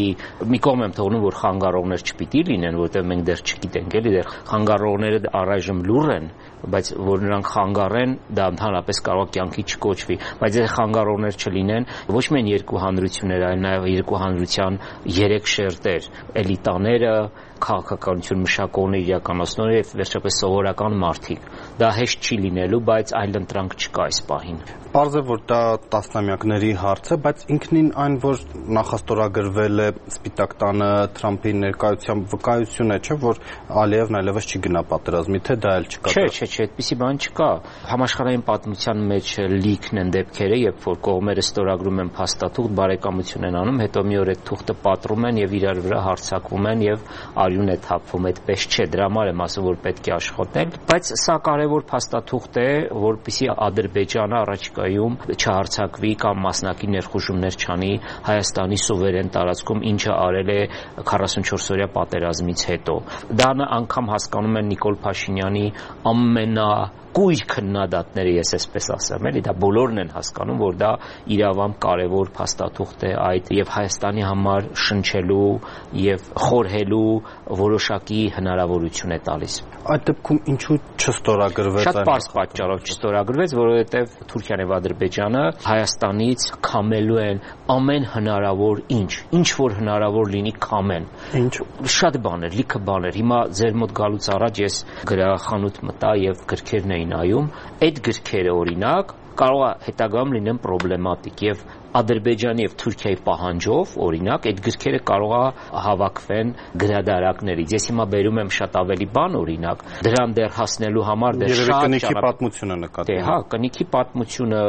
մի կողմ եմ թողնում, որ խանգարողներ չպիտի լինեն, որտեղ մենք դեռ չգիտենք, էլի դեռ խանգարողները առայժմ լուռ են, բայց որ նրանք խանգարեն, դա ընդհանրապես կարող է կյանքի չկոչվի, բայց եթե խանգարողներ չլինեն, ոչ միայն երկու հանրություններ, այլ նաև երկու հանրության 3 շերտեր, էլիտաները, քաղաքականություն մշակողներ, իրականացնողներ եւ վերջապես սովորական մարդիկ։ Դա հեշտ չի լինելու, բայց այլ ընտրանք չկա այս պահին։ Պարզ է, որ դա տասնամյակների հարց է, բայց ինքնին այն, որ նախաստորագրվել է Սպիտակ տանը Թրամփի ներկայությամբ, վկայություն է, չէ, որ Ալիևն այլևս չի գնա պատերազմի, թե դա էլ չկա։ Չէ, այդպիսի բան չկա։ Համաշխարհային պատմության մեջ լիքն են դեպքերը, երբ որ կողմերը ստորագրում են փաստաթուղթ, բարեկամություն են անում, հետո մի օր այդ թուղթը պատռում են եւ իրար վրա հարձակվում են եւ արյուն է թափվում, այդպես չէ, դրա համար եմ ասում, որ պետք է աշխատել, բայց սա կարևոր փաստաթուղթ է, որպեսզի Ադրբեջանը առաջիկայում չհարձակվի կամ մասնակի ներխուժումներ չանի Հայաստանի սուվերեն տարածքում, ինչը արել է 44-օրյա պատերազմից հետո։ Դա անգամ հասկանում են Նիկոլ Փաշինյանի կույր քննադատները, ես այսպես ասեմ, էլի դա բոլորն են հասկանում, որ դա իրավամբ կարևոր փաստաթուղթ է այդ եւ Հայաստանի համար շնչելու եւ խորհելու որոշակի հնարավորություն է տալիս։ Այդ դեպքում ինչու չստորագրվեց այն։ Շատ պարզ պատճառով չստորագրվեց, որովհետեւ Թուրքիան եւ Ադրբեջանը Հայաստանից քամելու են ամեն հնարավոր ինչ որ հնարավոր լինի քամեն։ Ինչ։ Շատ բաներ, լիքը բաներ։ Հիմա ձեր մոտ գալուց առաջ ես գրախանութ մտա եւ գրքերն նայում, այդ գրքերը օրինակ կարող է հետագայում լինեն պրոբլեմատիկ եւ Ադրբեջանի եւ Թուրքիայի պահանջով, օրինակ, այդ գրքերը կարող է հավաքվեն գրադարակներից։ Ես հիմա բերում եմ շատ ավելի բան, օրինակ, դրան դեռ հասնելու համար դեռ շատ կնիքի պատմությունը նկատի։ Հա, կնիքի պատմությունը,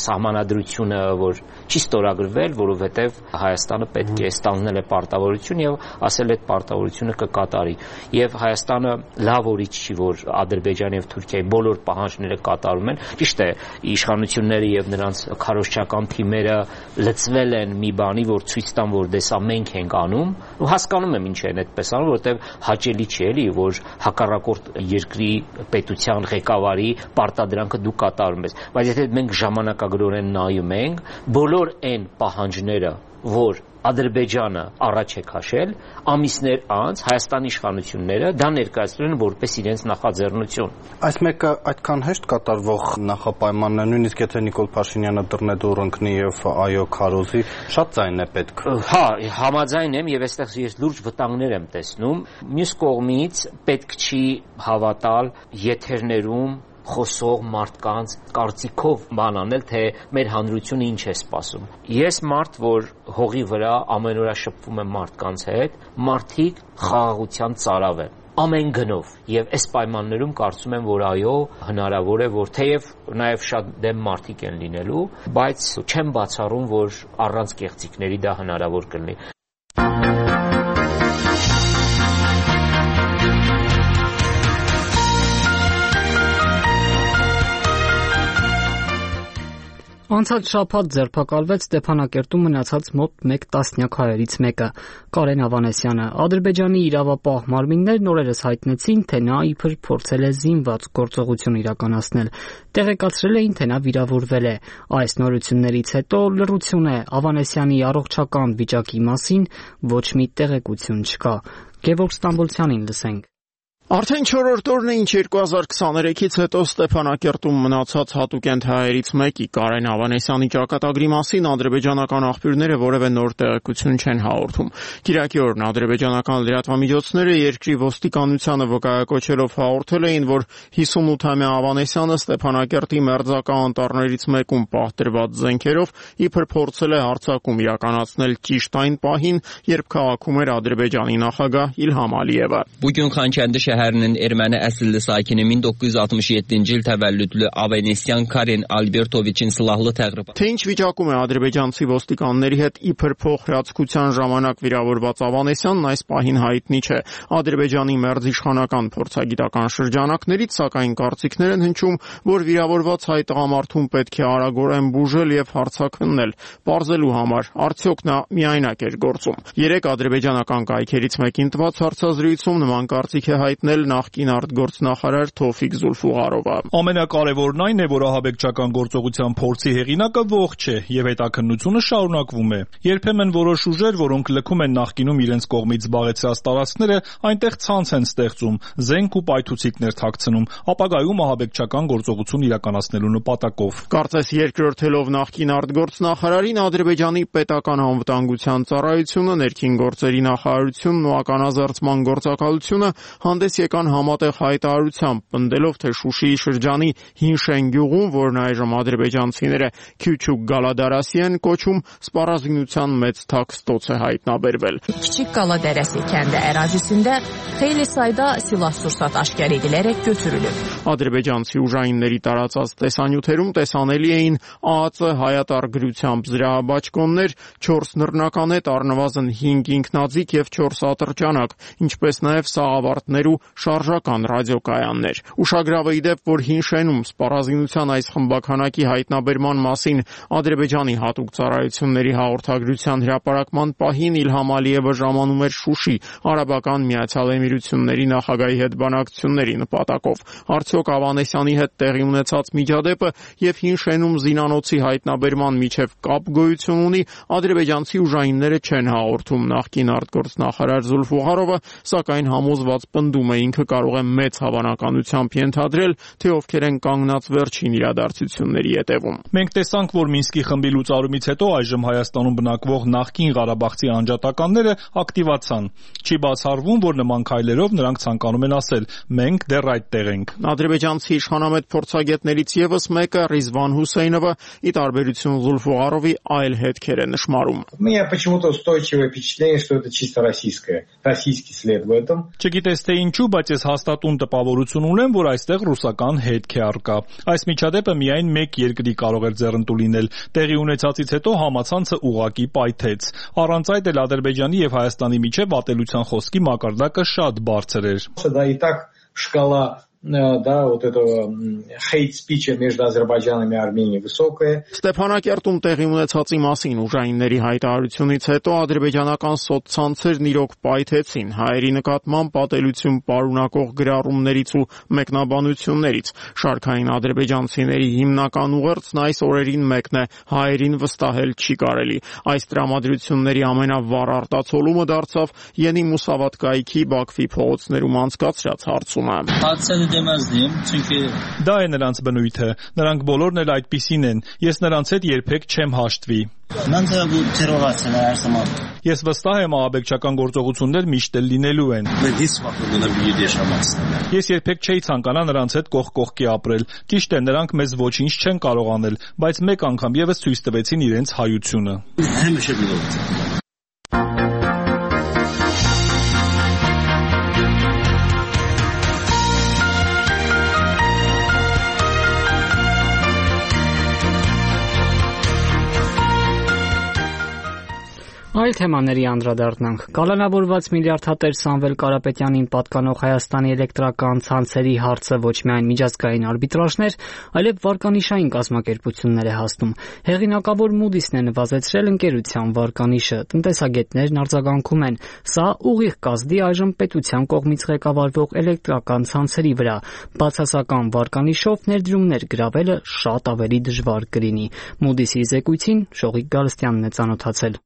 սահմանադրությունը, որ չի ստորագրվել, որովհետեւ Հայաստանը պետք է ստանձնել է պարտավորություն եւ ասել այդ պարտավորությունը կկատարի։ Եվ Հայաստանը լավ օրից չի, որ Ադրբեջանի եւ Թուրքիայի բոլոր պահանջները կատարում են։ Ճիշտ է, իշխանությունները եւ նրանց քարոզչական թիմերը լծվել են մի բանի, որ ցույց տան, որ դեսա մենք ենք անում, ու հասկանում եմ ինչ են այդպես անում, որովհետև հաճելի չի էլի, որ հակառակորդ երկրի պետության ղեկավարի պարտադրանքը դու կատարում ես, բայց եթե մենք ժամանակագրորեն նայում ենք, բոլոր այն պահանջները, որ Ադրբեջանը առաջ է քաշել, ամիսներ անց Հայաստանի իշխանությունները դա ներկայացրել են որպես իրենց նախաձեռնություն։ Այս մեկը այդքան հեշտ կատարվող նախապայմանն է, նույնիսկ եթե Նիկոլ Փաշինյանը դռնեդուր ընկնի եւ այո քարոզի, շատ ձայն է պետք։ Հա, համաձայն եմ եւ այստեղ ես լուրջ վտանգներ եմ տեսնում։ Մյուս կողմից պետք չի հավատալ եթերներում խոսող մարդկանց կարծիքով բան անել, թե մեր հանրությունը ինչ է սպասում։ Ես մարդ, որ հողի վրա ամեն օր շփվում եմ մարդկանց հետ, մարդիկ խաղաղության ծարավ են ամեն գնով եւ այս պայմաններում կարծում եմ, որ այո, հնարավոր է, որ թեև նաեւ շատ դեմ մարդիկ են լինելու, բայց չեմ բացառում, որ առանց կեղծիքների դա հնարավոր կլինի։ Անցած շաբաթ ձերբակալվեց Ստեփանակերտում մնացած մոտ 1 տասնյակ հայերից մեկը՝ Կարեն Ավանեսյանը։ Ադրբեջանի իրավապահ մարմիններն օրերս հայտնեցին, թե նա իբր փորձել է զինված գործողություն իրականացնել։ Տեղեկացրել էին, թե նա վիրավորվել է։ Այս նորություններից հետո լռություն է Ավանեսյանի առողջական վիճակի մասին, ոչ մի տեղեկություն չկա։ Գևորգ Ստամբոլցյանին լսենք։ Արդեն 4-րդ օրն է, ինչ 2023-ից հետո Ստեփանակերտում մնացած հատուկենտ հայերից մեկի Կարեն Ավանեսյանի ճակատագրի մասին ադրբեջանական աղբյուրները որևէ նոր տեղեկություն չեն հաղորդում։ Կիրակի օրն ադրբեջանական լրատվամիջոցները երկրի ոստիկանությանը վկայակոչելով հաղորդել էին, որ 58-ամյա Ավանեսյանը Ստեփանակերտի մերձակա անտառներից մեկում պահտրված զենքերով իբր փորձել է հարձակում իրականացնել ճիշտ այն պահին, երբ քաղաքում էր Ադրբեջանի նախագահ Իլհամ Ալիևը։ şəhərinin erməni əsilli sakini 1967-ci il təvəllüdlü Avenesyan Karen Albertoviçin silahlı təqribatı. Թե ինչ վիճակում է ադրբեջանցի ոստիկանների հետ իբր փոխհրացքության ժամանակ վիրավորված Ավանեսյանն այս պահին հայտնի չէ։ Ադրբեջանի մերձիշխանական փորձագիտական շրջանակներից սակայն կարծիքներ են հնչում, որ վիրավորված հայ տղամարդուն պետք է արագորեն բուժել եւ հարձակվնել, պարզելու համար արդյոք նա միայնակ էր գործում։ Երեք ադրբեջանական կայքերից մեկին տված հարցազրույցում նման կարծիք է հայտնել նախկին արտգործնախարար Թովֆիկ Զուլֆուղարովը։ Ամենակարևորն այն է, որ ահաբեկչական գործողության փորձի հեղինակը ողջ է եւ հետաքննությունը շարունակվում է։ Երբեմն որոշ ուժեր, որոնք լքում են նախկինում իրենց կողմից զբաղեցրած տարածքները, այնտեղ ցանց են ստեղծում, զենք ու պայթուցիկներ թաքցնում, ապագայում ահաբեկչական գործողություն իրականացնելու նպատակով։ Կարծես երկրորդելով նախկին արտգործնախարարին Ադրբեջանի պետական անվտանգության ծառայությունը, ներքին գործերի նախարարությունն ու ականազերծման գործակալությունը հանդես եկան համատեղ հայտարարությամբ, պնդելով, թե Շուշիի շրջանի Հինշեն գյուղում, որն այժմ ադրբեջանցիները Քյուչուկ Գալադարասի են կոչում, սպառազինության մեծ թաքստոց է հայտնաբերվել։ Kiçik Qaladərəsi kəndi ərazisində xeyli sayda silah-sursat aşkar edilərək götürülüb. Ադրբեջանցի ուժայինների տարածած տեսանյութերում տեսանելի էին ԱԱԾ հայատար գրությամբ զրահաբաճկոններ, 4 նռնականետ, առնվազն 5 ինքնաձիգ եւ 4 ատրճանակ, ինչպես նաեւ սաղավարտներ ու շարժական ռադիոկայաններ։ Ուշագրավ է ի դեպ, որ Հինշենում սպառազինության այս խմբականակի հայտնաբերման մասին Ադրբեջանի հատուկ ծառայությունների հաղորդագրության հրապարակման պահին Իլհամ Ալիևը ժամանում էր Շուշի, Արաբական Միացյալ Էմիրությունների նախագահի հետ բանակցությունների նպատակով։ Արդյոք Ավանեսյանի հետ տեղի ունեցած միջադեպը եւ Հինշենում զինանոցի հայտնաբերման միջև կապ գոյություն ունի, ադրբեջանցի ուժայինները չեն հաղորդում նախկին արտգործնախարար Զուլֆուղարովը, սակայն համոզված պնդում է ինքը կարող է մեծ հավանականությամբ ենթադրել, թե ովքեր են կանգնած վերջին իրադարձությունների ետևում։ Մենք տեսանք, որ Մինսկի խմբի լուծարումից հետո այժմ Հայաստանում բնակվող նախկին Ղարաբաղցի անջատականները ակտիվացան։ Չի բացառվում, որ նման քայլերով նրանք ցանկանում են ասել. մենք դեռ այդտեղ ենք։ Ադրբեջանցի իշխանամետ փորձագետներից եւս մեկը Ռիզվան Հուսեյնովը ի տարբերություն Զուլֆուղարովի այլ հետքեր է նշмарում։ У меня почему-то устойчивое впечатление, что это чисто российский след в этом. Չգիտես թե ինչու, բայց ես հաստատուն տպավորություն ունեմ, որ այստեղ ռուսական հետք է առկա։ Այս միջադեպը միայն մեկ երկրի կարող էր ձեռնտու լինել։ Տեղի ունեցածից հետո համացանցը ուղղակի պայթեց։ Առանց այդ էլ Ադրբեջանի եւ Հայաստանի միջև ատելության խոսքի մակարդակը շատ բարձր էր։ Да, и так шкала вот этого hate-speech между Азербайджаном и Арменией высокая. Ստեփանակերտում տեղի ունեցածի մասին ուժայինների հայտարարությունից հետո ադրբեջանական սոցցանցերն իրոք պայթեցին հայերի նկատմամբ պատելություն պարունակող գրառումներից ու մեկնաբանություններից։ Շարքային ադրբեջանցիների հիմնական ուղերձն այս օրերին մեկն է՝ հայերին վստահել չի կարելի։ Այս տրամադրությունների ամենավառ արտացոլումը դարձավ Յենի Մուսավատ կայքի Բաքվի փողոցներում անցկացրած հարցումը։ Դա է նրանց բնույթը, նրանք բոլորն էլ այդպիսին են, ես նրանց հետ երբեք չեմ հաշտվի։ Ես վստահ եմ ահաբեկչական գործողություններ միշտ էլ լինելու են։ Ես երբեք չէի ցանկանա նրանց հետ կողք կողքի ապրել։ Ճիշտ է, նրանք մեզ ոչինչ չեն կարող անել, բայց մեկ անգամ եւս ցույց տվեցին իրենց հայությունը։ Այլ թեմաների անդրադառնանք։ Կալանավորված միլիարդատեր Սամվել Կարապետյանին պատկանող Հայաստանի էլեկտրական ցանցերի հարցը ոչ միայն միջազգային արբիտրաժներ, այլև վարկանիշային կազմակերպություններ է հասնում։ Հեղինակավոր Moody's-ն է նվազեցրել ընկերության վարկանիշը։ Տնտեսագետներն արձագանքում են, սա ուղիղ կազդի այժմ պետության կողմից ղեկավարվող էլեկտրական ցանցերի վրա։ Բացասական վարկանիշով ներդրումներ գրավելը շատ ավելի դժվար կլինի։ Moody's-ի զեկույցին Շողիկ Գալստյանն է ծանոթացել։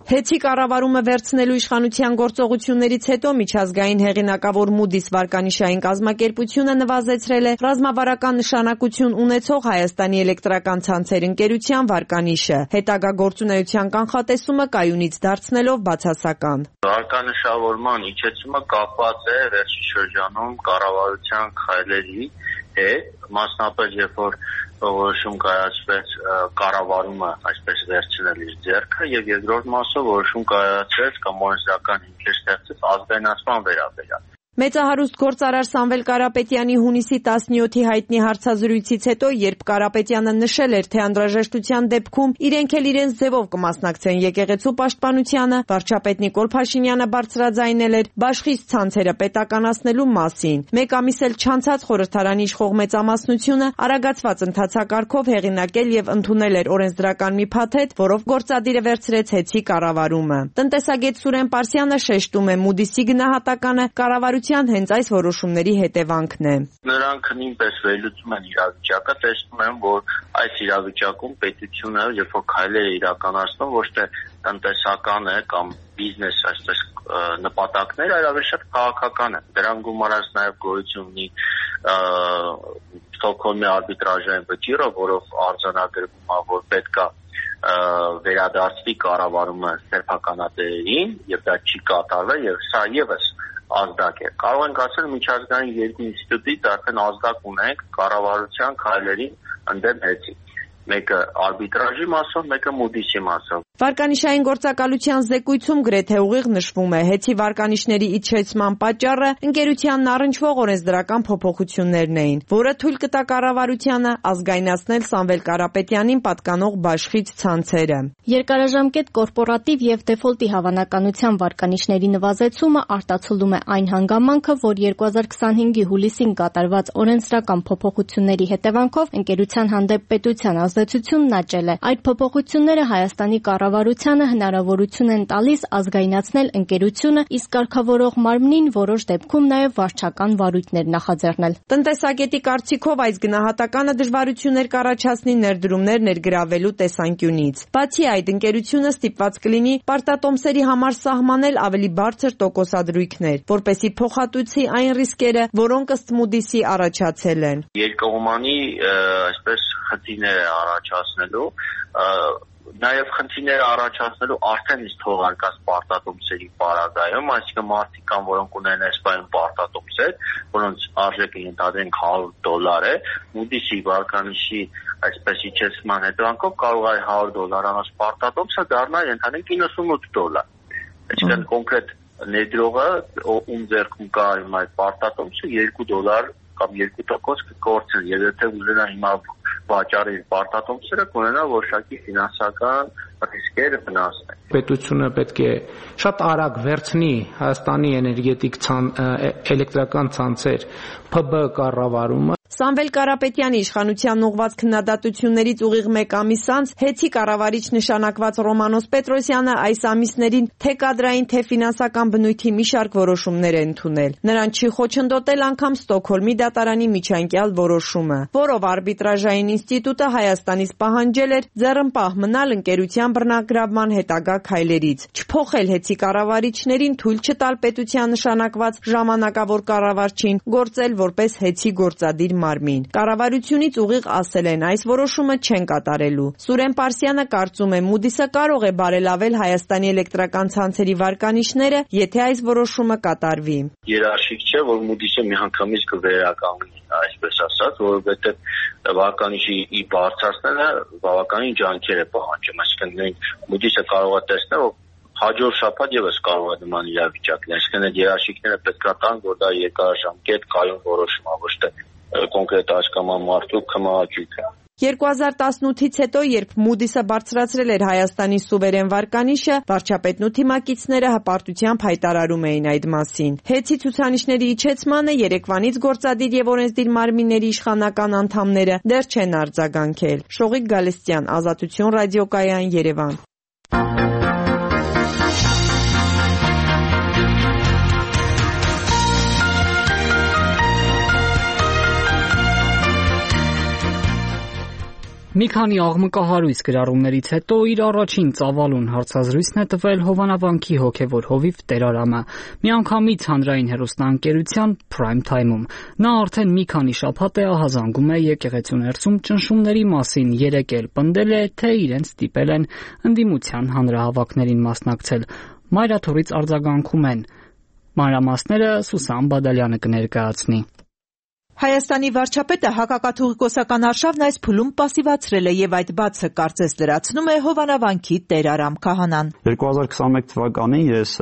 Հետի կառավարումը վերցնելու իշխանության գործողություններից հետո միջազգային հեղինակավոր Moody's վարկանիշային կազմակերպությունը նվազեցրել է ռազմավարական նշանակություն ունեցող Հայաստանի էլեկտրական ցանցեր ընկերության վարկանիշը, հետագա գործունեության կանխատեսումը կայունից դարձնելով բացասական։ Վարկանիշավորման իջեցումը կապված է վերջին շրջանում կառավարության քայլերի հետ, մասնապես երբ որ որոշում կայացվեց կառավարումը այսպես վերցնել իր ձեռքը եւ երկրորդ մասով որոշում կայացվեց կամ օրենսդրական հիմքեր ստեղծեց ազգայնացման վերաբերյալ։ Մեծահարուստ գործարար Սամվել Կարապետյանի հունիսի 17-ի հայտնի հարցազրույցից հետո, երբ Կարապետյանը նշել էր, թե անհրաժեշտության դեպքում իրենք էլ իրենց ձևով կմասնակցեն եկեղեցու պաշտպանությանը, վարչապետ Նիկոլ Փաշինյանը բարձրաձայնել էր բաշխից ցանցերը պետականացնելու մասին։ Մեկ ամիս էլ չանցած խորհրդարանի իշխող մեծամասնությունը արագացված ընթացակարգով հեղինակել եւ ընդունել էր օրենսդրական մի փաթեթ, որով գործադիրը վերցրեց հեծի կառավարումը։ Տնտեսագետ Սուրեն Պարսյանը շեշտում է Մուդիսի գնահատականը կառավարության հենց այս որոշումների հետևանքն է։ Նրանք նույնպես վերլուծում են իրավիճակը, տեսնում են, որ այս իրավիճակում պետությունը երբ որ քայլեր է իրականացնում, ոչ թե տնտեսական է կամ բիզնես այսպես նպատակներ, այլ ավելի շատ քաղաքական է։ Դրան գումարած նաև գոյություն ունի Ստոկհոլմի արբիտրաժային վճիռը, որով արձանագրվում է, որ պետք է վերադարձվի կառավարումը սեփականատերերին, եւ դա չի կատարվել, եւ սա եւս ազդակ է։ Կարող ենք ասել միջազգային երկու ինստիտուտից արդեն ազդակ ունենք կառավարության քայլերին ընդդեմ հեծի։ Մեկը արբիտրաժի մասով, մեկը Մուդիսի մասով։ Վարկանիշային գործակալության զեկույցում գրեթե ուղիղ նշվում է, հեծի վարկանիշների իջեցման պատճառը ընկերությանն առնչվող օրենսդրական փոփոխություններն էին, որը թույլ կտա կառավարությանը ազգայնացնել Սամվել Կարապետյանին պատկանող բաշխից ցանցերը։ Երկարաժամկետ կորպորատիվ եւ դեֆոլտի հավանականության վարկանիշների նվազեցումը արտացոլում է այն հանգամանքը, որ 2025-ի հուլիսին կատարված օրենսդրական փոփոխությունների հետևանքով ընկերության հանդեպ պետության ազդեցությունն աճել է։ Այդ փոփոխությունները Հայաստանի կառավարությանը հնարավորություն են տալիս ազգայնացնել ընկերությունը, իսկ կարգավորող մարմնին որոշ դեպքում նաև վարչական վարույթներ նախաձեռնել։ Տնտեսագետի կարծիքով այս գնահատականը դժվարություններ կառաջացնի ներդրումներ ներգրավելու տեսանկյունից։ Բացի այդ, ընկերությունը ստիպված կլինի պարտատոմսերի համար սահմանել ավելի բարձր տոկոսադրույքներ, որպեսզի փոխհատուցի այն ռիսկերը, որոնք ըստ Մուդիսի առաջացել են։ Երկկողմանի այսպես խնդիրներ է առաջացնելու, նաև խնդիրներ առաջացնելու արդեն իսկ թողարկած պարտատոմսերի պարագայում, այսինքն մարդիկ կան, որոնք ունեն այսպայն պարտատոմսեր, որոնց արժեքը ենթադրենք $100 է, Մուդիսի վարկանիշի այսպես իջեցման հետևանքով կարող է $100 անոց պարտատոմսը դառնա ենթադրենք $98։ Այսինքն կոնկրետ ներդրողը, ում ձեռքում կա այդ պարտատոմսը, $2 կամ 2% կկորցնի, եւ եթե ուզենա հիմա վաճառի պարտատոմսերը, կունենա որոշակի ֆինանսական ռիսկեր վնասներ։ Պետությունը պետք է շատ արագ վերցնի Հայաստանի էլեկտրական ցանցեր ՓԲ կառավարումը։ Սամվել Կարապետյանի իշխանությանն ուղղված քննադատություններից ուղիղ մեկ ամիս անց հեծի կառավարիչ նշանակված Ռոմանոս Պետրոսյանը այս ամիսներին թե կադրային, թե ֆինանսական բնույթի մի շարք որոշումներ է ընդունել։ Նրան չի խոչընդոտել անգամ Ստոկհոլմի դատարանի միջանկյալ որոշումը, որով արբիտրաժային ինստիտուտը Հայաստանից պահանջել էր ձեռնպահ մնալ ընկերության բռնագրավման հետագա քայլերից, չփոխել հեծի կառավարիչներին թույլ չտալ պետության նշանակված ժամանակավոր կառավարչին գործել որպես հեծի գործադիր մարմին։ Կառավարությունից ուղիղ ասել են, այս որոշումը չեն կատարելու։ Սուրեն Պարսյանը կարծում է, Մուդիսը կարող է բարելավել Հայաստանի էլեկտրական ցանցերի վարկանիշները, եթե այս որոշումը կատարվի։ Երաշխիք չէ, որ Մուդիսը միանգամից կվերականգնի, այսպես ասած, որովհետև վարկանիշի բարձրացնելը բավականին ջանքեր է պահանջում, այսինքն Մուդիսը կարող է տեսնել, որ հաջորդ շաբաթ եւս կարող է նման իրավիճակ լինել, այսինքն այդ երաշխիքները պետք է տան, որ դա երկարաժամկետ կայուն որոշում է, ոչ թե կոնկրետ հասկաման մարդու քմահաճույքը։ 2018-ից հետո, երբ Մուդիսը բարձրացրել էր Հայաստանի սուվերեն վարկանիշը, վարչապետն ու թիմակիցները հպարտությամբ հայտարարում էին այդ մասին։ Հեծի ցուցանիշների իջեցմանը երեկվանից գործադիր եւ օրենսդիր մարմինների իշխանական անդամները դեռ չեն արձագանքել։ Շողիկ Գալստյան, Ազատություն ռադիոկայան, Երևան։ Մի քանի աղմկահարույց գրառումներից հետո իր առաջին ծավալուն հարցազրույցն է տվել Հովանավանքի հոգևոր հովիվ Տերարամը, միանգամից հանրային հեռուստաընկերության Prime Time-ում։ Նա արդեն մի քանի շաբաթ է ահազանգում է եկեղեցու ներսում ճնշումների մասին, երեկ էլ պնդել է, թե իրեն ստիպել են ընդդիմության հանրահավաքներին մասնակցել։ Մայրաթորից արձագանքում են։ Մանրամասները Սուսան Բադալյանը կներկայացնի։ Հայաստանի վարչապետը հակակաթողիկոսական արշավն այս փուլում պասիվացրել է եւ այդ բացը կարծես լրացնում է Հովանավանքի Տերարամ քահանան։ 2021 թվականին ես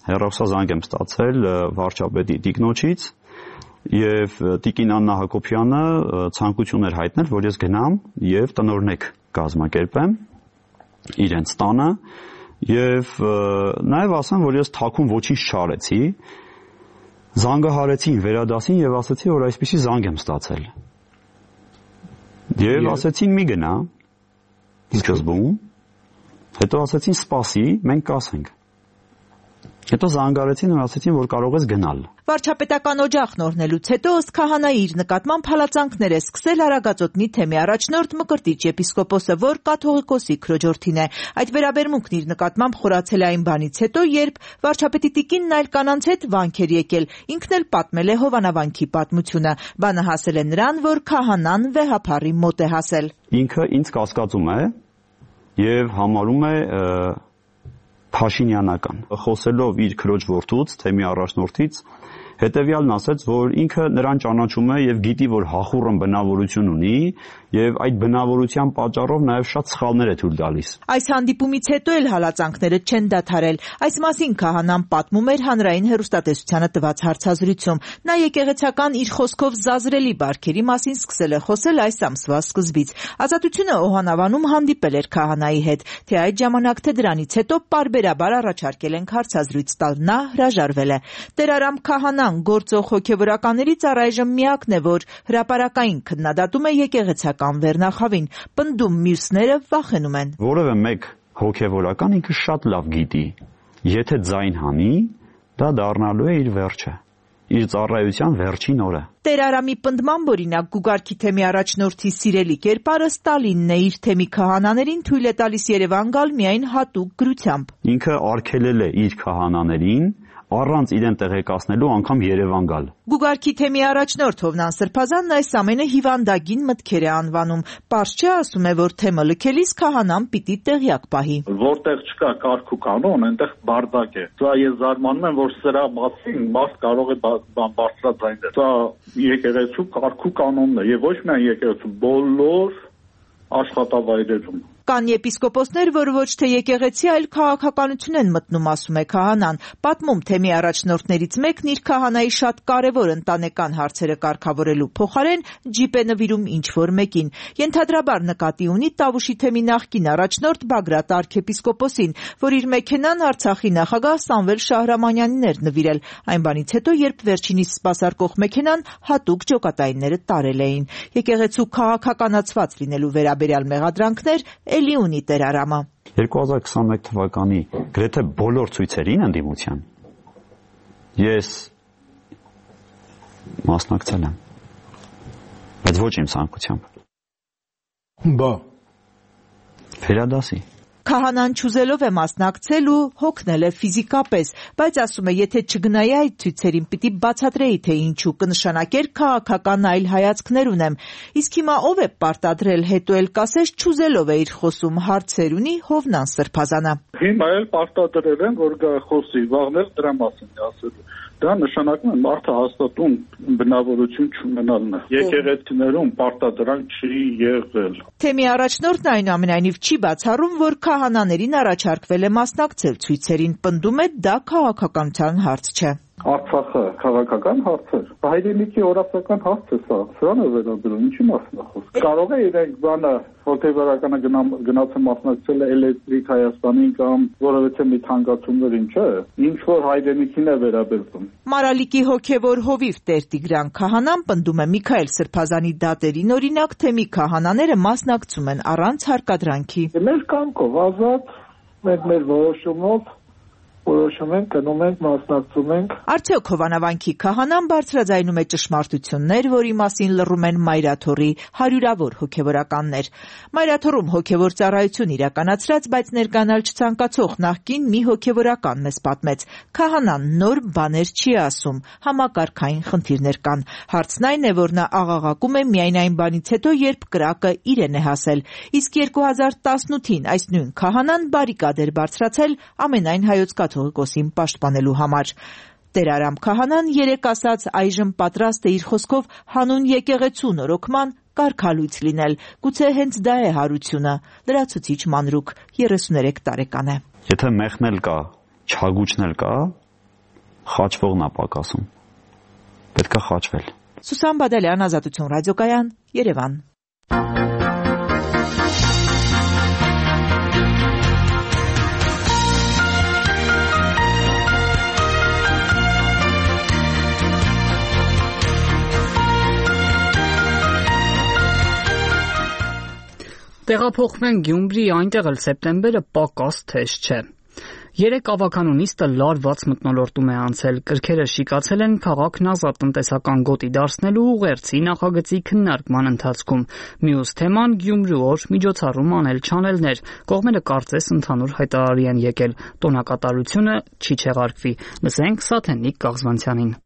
հեռախոսազանգ եմ ստացել վարչապետի տիկնոջից եւ տիկին Աննա Հակոբյանը ցանկություն էր հայտնել, որ ես գնամ եւ տնօրնեք կազմակերպեմ իրենց տանը եւ նաեւ ասեմ, որ ես թաքուն ոչինչ չարեցի, զանգահարեցին վերադասին եւ ասացի, որ այսպեսի զանգ եմ ստացել։ Եվ ասեցին մի գնա սկզբում, հետո ասեցին սպասի, մենք կասենք։ Հետո զանգարեցին ու ասեցին, որ կարող ես գնալ։ Վարչապետական օջախն օրհնելուց հետո ըստ քահանայի իր նկատմամբ հալածանքներ է սկսել Արագածոտնի թեմի առաջնորդ Մկրտիչ եպիսկոպոսը, որ կաթողիկոսի քրոջորդին է։ Այդ վերաբերմունքն իր նկատմամբ խորացել է այն բանից հետո, երբ վարչապետի տիկինն այլ կանանց հետ վանք էր եկել։ Ինքն էլ պատմել է Հովանավանքի պատմությունը։ Բանը հասել է նրան, որ քահանան վեհափառի մոտ է հասել։ Ինքը ինձ կասկածում է եւ համարում է Փաշինյանական, խոսելով իր քրոջ որդուց, թեմի առաջնորդից, հետևյալն ասեց, որ ինքը նրան ճանաչում է եւ գիտի, որ հախուռն բնավորություն ունի եւ այդ բնավորության պատճառով նաեւ շատ սխալներ է թույլ տալիս։ Այս հանդիպումից հետո էլ հալածանքները չեն դադարել։ Այս մասին քահանան պատմում էր հանրային հեռուստատեսությանը տված հարցազրույցում։ Նա եկեղեցական իր խոսքով զազրելի բարքերի մասին սկսել է խոսել այս ամսվա սկզբից։ Ազատությունը Օհանավանում հանդիպել էր քահանայի հետ, թե այդ ժամանակ թե դրանից հետո պարբերաբար առաջարկել են հարցազրույց տալ։ Նա հրաժարվել է։ Տեր Արամ քահանան գործող հոգևորականներից առայժմ միակն է, որ հրապարակային քննադատում է եկեղեցական վերնախավին, պնդում մյուսները վախենում են։ Որևէ մեկ հոգևորական ինքը շատ լավ գիտի, եթե ձայն հանի, դա դառնալու է իր վերջը, իր ծառայության վերջին օրը։ Տեր Արամի պնդմամբ օրինակ Գուգարքի թեմի առաջնորդի սիրելի կերպարը Ստալինն է, իր թեմի քահանաներին թույլ է տալիս Երևան գալ միայն հատուկ գրությամբ։ Ինքը արգելել է իր քահանաներին առանց իրեն տեղեկացնելու անգամ Երևան գալ։ Գուգարքի թեմի առաջնորդ Հովնան Սրբազանն այս ամենը հիվանդագին մտքեր է անվանում։ Պարզ չէ, ասում է, որ թեմը լքելիս քահանան պիտի տեղյակ պահի։ Որտեղ չկա կարգ ու կանոն, այնտեղ բարդակ է։ Սա ես զարմանում եմ, որ սրա մասին մարդ կարող է բարձրաձայնել։ Սա եկեղեցու կարգ ու կանոնն է եւ ոչ միայն եկեղեցու, բոլոր աշխատավայրերում։ Կան եպիսկոպոսներ, որ ոչ թե եկեղեցի, այլ քաղաքականություն են մտնում, ասում է քահանան։ Պատմում թեմի առաջնորդներից մեկն իր քահանայի շատ կարևոր ընտանեկան հարցերը կարգավորելու փոխարեն ջիպ է նվիրում ինչ-որ մեկին։ Ենթադրաբար նկատի ունի Տավուշի թեմի նախկին առաջնորդ Բագրատ arczepiskopos-ին, որ իր մեքենան Արցախի նախագահ Սամվել Շահրամանյանին էր նվիրել, այն բանից հետո, երբ վերջինիս սպասարկող մեքենան հատուկ ջոկատայինները տարել էին։ Եկեղեցու քաղաքականացված լինելու վերաբերյալ մեղադրանքներ էլի ունի Տեր Արամը։ 2021 թվականի գրեթե բոլոր ցույցերին ընդդիմության ես մասնակցել եմ, բայց ոչ իմ ցանկությամբ։ Բա Վերադասի Քահանան չուզելով է մասնակցել ու հոգնել է ֆիզիկապես, բայց ասում է, եթե չգնայի այդ ցույցերին, պիտի բացատրեի, թե ինչու, կնշանակեր քաղաքական այլ հայացքներ ունեմ։ Իսկ հիմա ով է պարտադրել, հետո էլ կասես չուզելով է իր խոսում, հարցեր ունի Հովնան Սրբազանը։ Հիմա էլ պարտադրել են, որ գա խոսի, վաղներ դրա մասին ասելու։ Դա նշանակում է մարդը հաստատուն բնավորություն չունենալն է։ Եկեղեցիներում պարտադրանք չի եղել։ Թեմի առաջնորդն այնուամենայնիվ չի բացառում, որ քահանաներին առաջարկվել է մասնակցել ցույցերին, պնդում է դա քաղաքականության հարց չէ։ Արցախը քաղաքական հարց է, հայրենիքի օրացական հարց է սա, սրան է վերաբերում, ինչի մասն է խոսքը։ Կարող է իրենք բանը հոգևորականը գնացել մասնակցել էլեկտրիկ Հայաստանին կամ որևէ մի թանկացումներին, չէ, ինչ որ հայրենիքին է վերաբերվում։ Մարալիկի հոգևոր հովիվ Տեր Տիգրան քահանան պնդում է Միքայել Սրբազանի դատերին օրինակ թեմի քահանաները մասնակցում են առանց հարկադրանքի։ Մեր կամքով ազատ, մեր որոշումով որոշում ենք, գնում ենք, մասնակցում ենք։ Արդյոք Հովանավանքի քահանան բարձրաձայնում է ճշմարտություններ, որի մասին լռում են Մայրաթոռի հարյուրավոր հոգևորականներ։ Մայրաթոռում հոգևոր ծառայություն իրականացրած, բայց ներկանալ չցանկացող նախկին մի հոգևորական մեզ պատմեց. քահանան նոր բաներ չի ասում, համակարգային խնդիրներ կան։ Հարցն այն է, որ նա աղաղակում է միայն այն բանից հետո, երբ կրակը իրեն է հասել։ Իսկ 2018-ին այս նույն քահանան բարիկադ էր բարձրացել ամենայն հայոց կաթողիկոսին պաշտպանելու համար։ Տեր Արամ քահանան երեկ ասաց այժմ պատրաստ է իր խոսքով հանուն եկեղեցու նորոգման կարգալույց լինել։ Գուցե հենց դա է հարությունը։ Լրացուցիչ մանրուք 33 տարեկան է։ Եթե մեղնել կա, չհագուճնել կա, խաչվողն է պակասում։ Պետք է խաչվել։ Սուսան Բադալյան, Ազատություն ռադիոկայան, Երևան։ Տեղափոխվեն Գյումրի, այնտեղ էլ սեպտեմբերը պակաս թեժ չէ։ 3 ավականու նիստը լարված մթնոլորտում է անցել, կրքերը շիկացել են քաղաքն ազատ տնտեսական գոտի դարձնելու ուղերձի նախագծի քննարկման ընթացքում։ Մյուս թեման Գյումրու օր միջոցառում անել-չանելներ, կողմերը կարծես ընդհանուր հայտարարի են եկել, տոնակատարությունը չի չեղարկվի։ Լսենք Սաթենիկ Կաղզվանցյանին։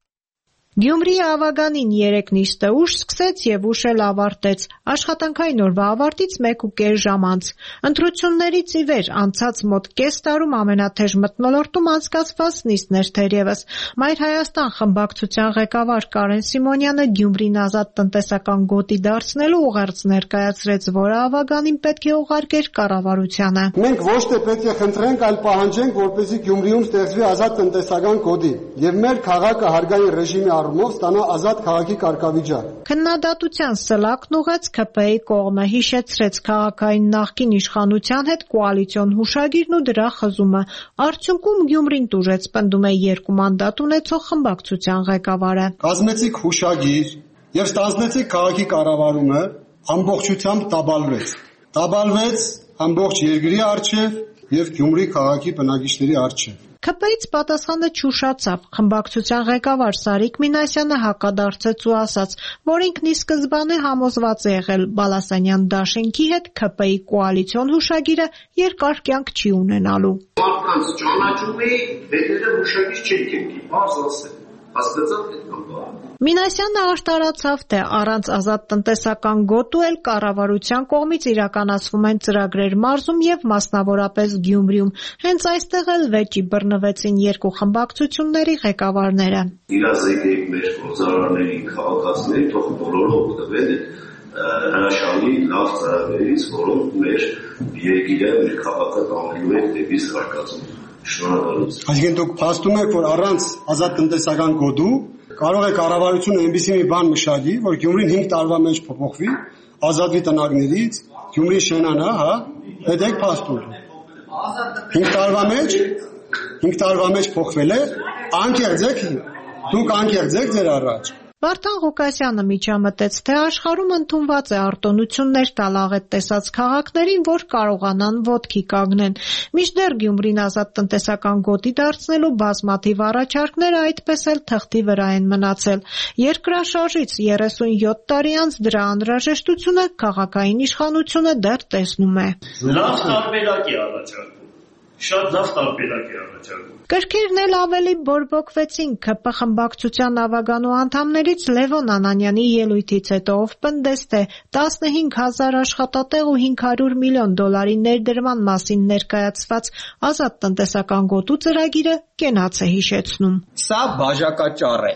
Գյումրիի Ավագանին 3 նիստը ուշ սկսեց եւ ուշ էլ ավարտեց։ Աշխատանքային օրվա ավարտից 1.5 ժամ անց։ Ընտրություններից ի վեր անցած մոտ կես տարում ամենաթեժ մթնոլորտում անցկացված նիստներ թերևս։ Մայր Հայաստան խմբակցության ղեկավար Կարեն Սիմոնյանը Գյումրին ազատ տնտեսական գոտի դարձնելու ուղերձ ներկայացրեց, որը Ավագանին պետք է ուղարկեր կառավարությանը։ Մենք ոչ թե պետք է խնդրենք, այլ պահանջենք, որպեսզի Գյումրիում ստեղծվի ազատ տնտեսական գոտի եւ մեր քաղաքը հարգային ռեժիմի առումով ստանա ազատ քաղաքի կարգավիճակ։ Քննադատության սլակն ուղեց ՔՊ-ի կողմը, հիշեցրեց քաղաքային նախկին իշխանության հետ կոալիցիոն հուշագիրն ու դրա խզումը։ Արդյունքում Գյումրին տուժեց, պնդում է 2 մանդատ ունեցող խմբակցության ղեկավարը։ Կազմեցիք հուշագիր եւ ստանձնեցիք քաղաքի կառավարումը, ամբողջությամբ տաբալվեց ամբողջ երկրի առջև եւ Գյումրի քաղաքի բնակիչների առջև։ ՔՊ-ից պատասխանը չուշացավ։ Խմբակցության ղեկավար Սարիկ Մինասյանը հակադարձեց ու ասաց, որ ինքն ի սկզբանե համոզված է եղել Բալասանյան դաշինքի հետ ՔՊ-ի կոալիցիոն հուշագիրը երկար կյանք չի ունենալու։ Մարդկանց ճանաչում էի, հետերը հուշագիր չի կենքի, բաց ասել։ Հասկացա՞ք այդ կապը։ Մինասյանը արտարացավ, թե առանց ազատ տնտեսական գոտու էլ կառավարության կողմից իրականացվում են ծրագրեր մարզում եւ մասնավորապես Գյումրիում։ Հենց այստեղ էլ վեճի բռնվեցին 2 խմբակցությունների ղեկավարները։ Իրազեկեք մեր գործարարների, քաղաքացիների, թող բոլորը օգտվեն հրաշալի լավ ծրագրերից, որոնք մեր երկիրը, մեր քաղաքը տանելու են դեպի զարգացում։ Շնորհակալություն։ Այսինքն դուք փաստում եք, որ առանց ազատ տնտեսական գոտու կարող է կառավարությունը այնպիսի մի բան մշակի, որ Գյումրին 5 տարվա մեջ փոփոխվի, ազատվի տնագներից, Գյումրի շենանա, հա, հետեք փաստում։ 5 տարվա մեջ փոխվել է, դուք անկեղծ եք ձեր առաջ։ Վարդան Ղուկասյանը միջամտեց, թե աշխարհում ընդունված է արտոնություններ տալ աղետ տեսած քաղաքներին, որ կարողանան ոտքի կանգնեն։ Մինչդեռ Գյումրին ազատ տնտեսական գոտի դարձնելու բազմաթիվ առաջարկները այդպես էլ թղթի վրա են մնացել։ Երկրաշարժից 37 տարի անց դրա անհրաժեշտությունը քաղաքային իշխանությունը դեռ տեսնում է։ Լավ տարբերակ է առաջարկում։ Շատ լավ տարբերակ է առաջարկում։ Կրքերն էլ ավելի բորբոքվեցին ՔՊ խմբակցության ավագանու անդամներից Լևոն Անանյանի ելույթից հետո, ով պնդեց, թե 15,000 աշխատատեղ ու $500 միլիոն ներդրման մասին ներկայացված ազատ տնտեսական գոտու ծրագիրը կենաց է հիշեցնում։ Սա բաժակաճառ է,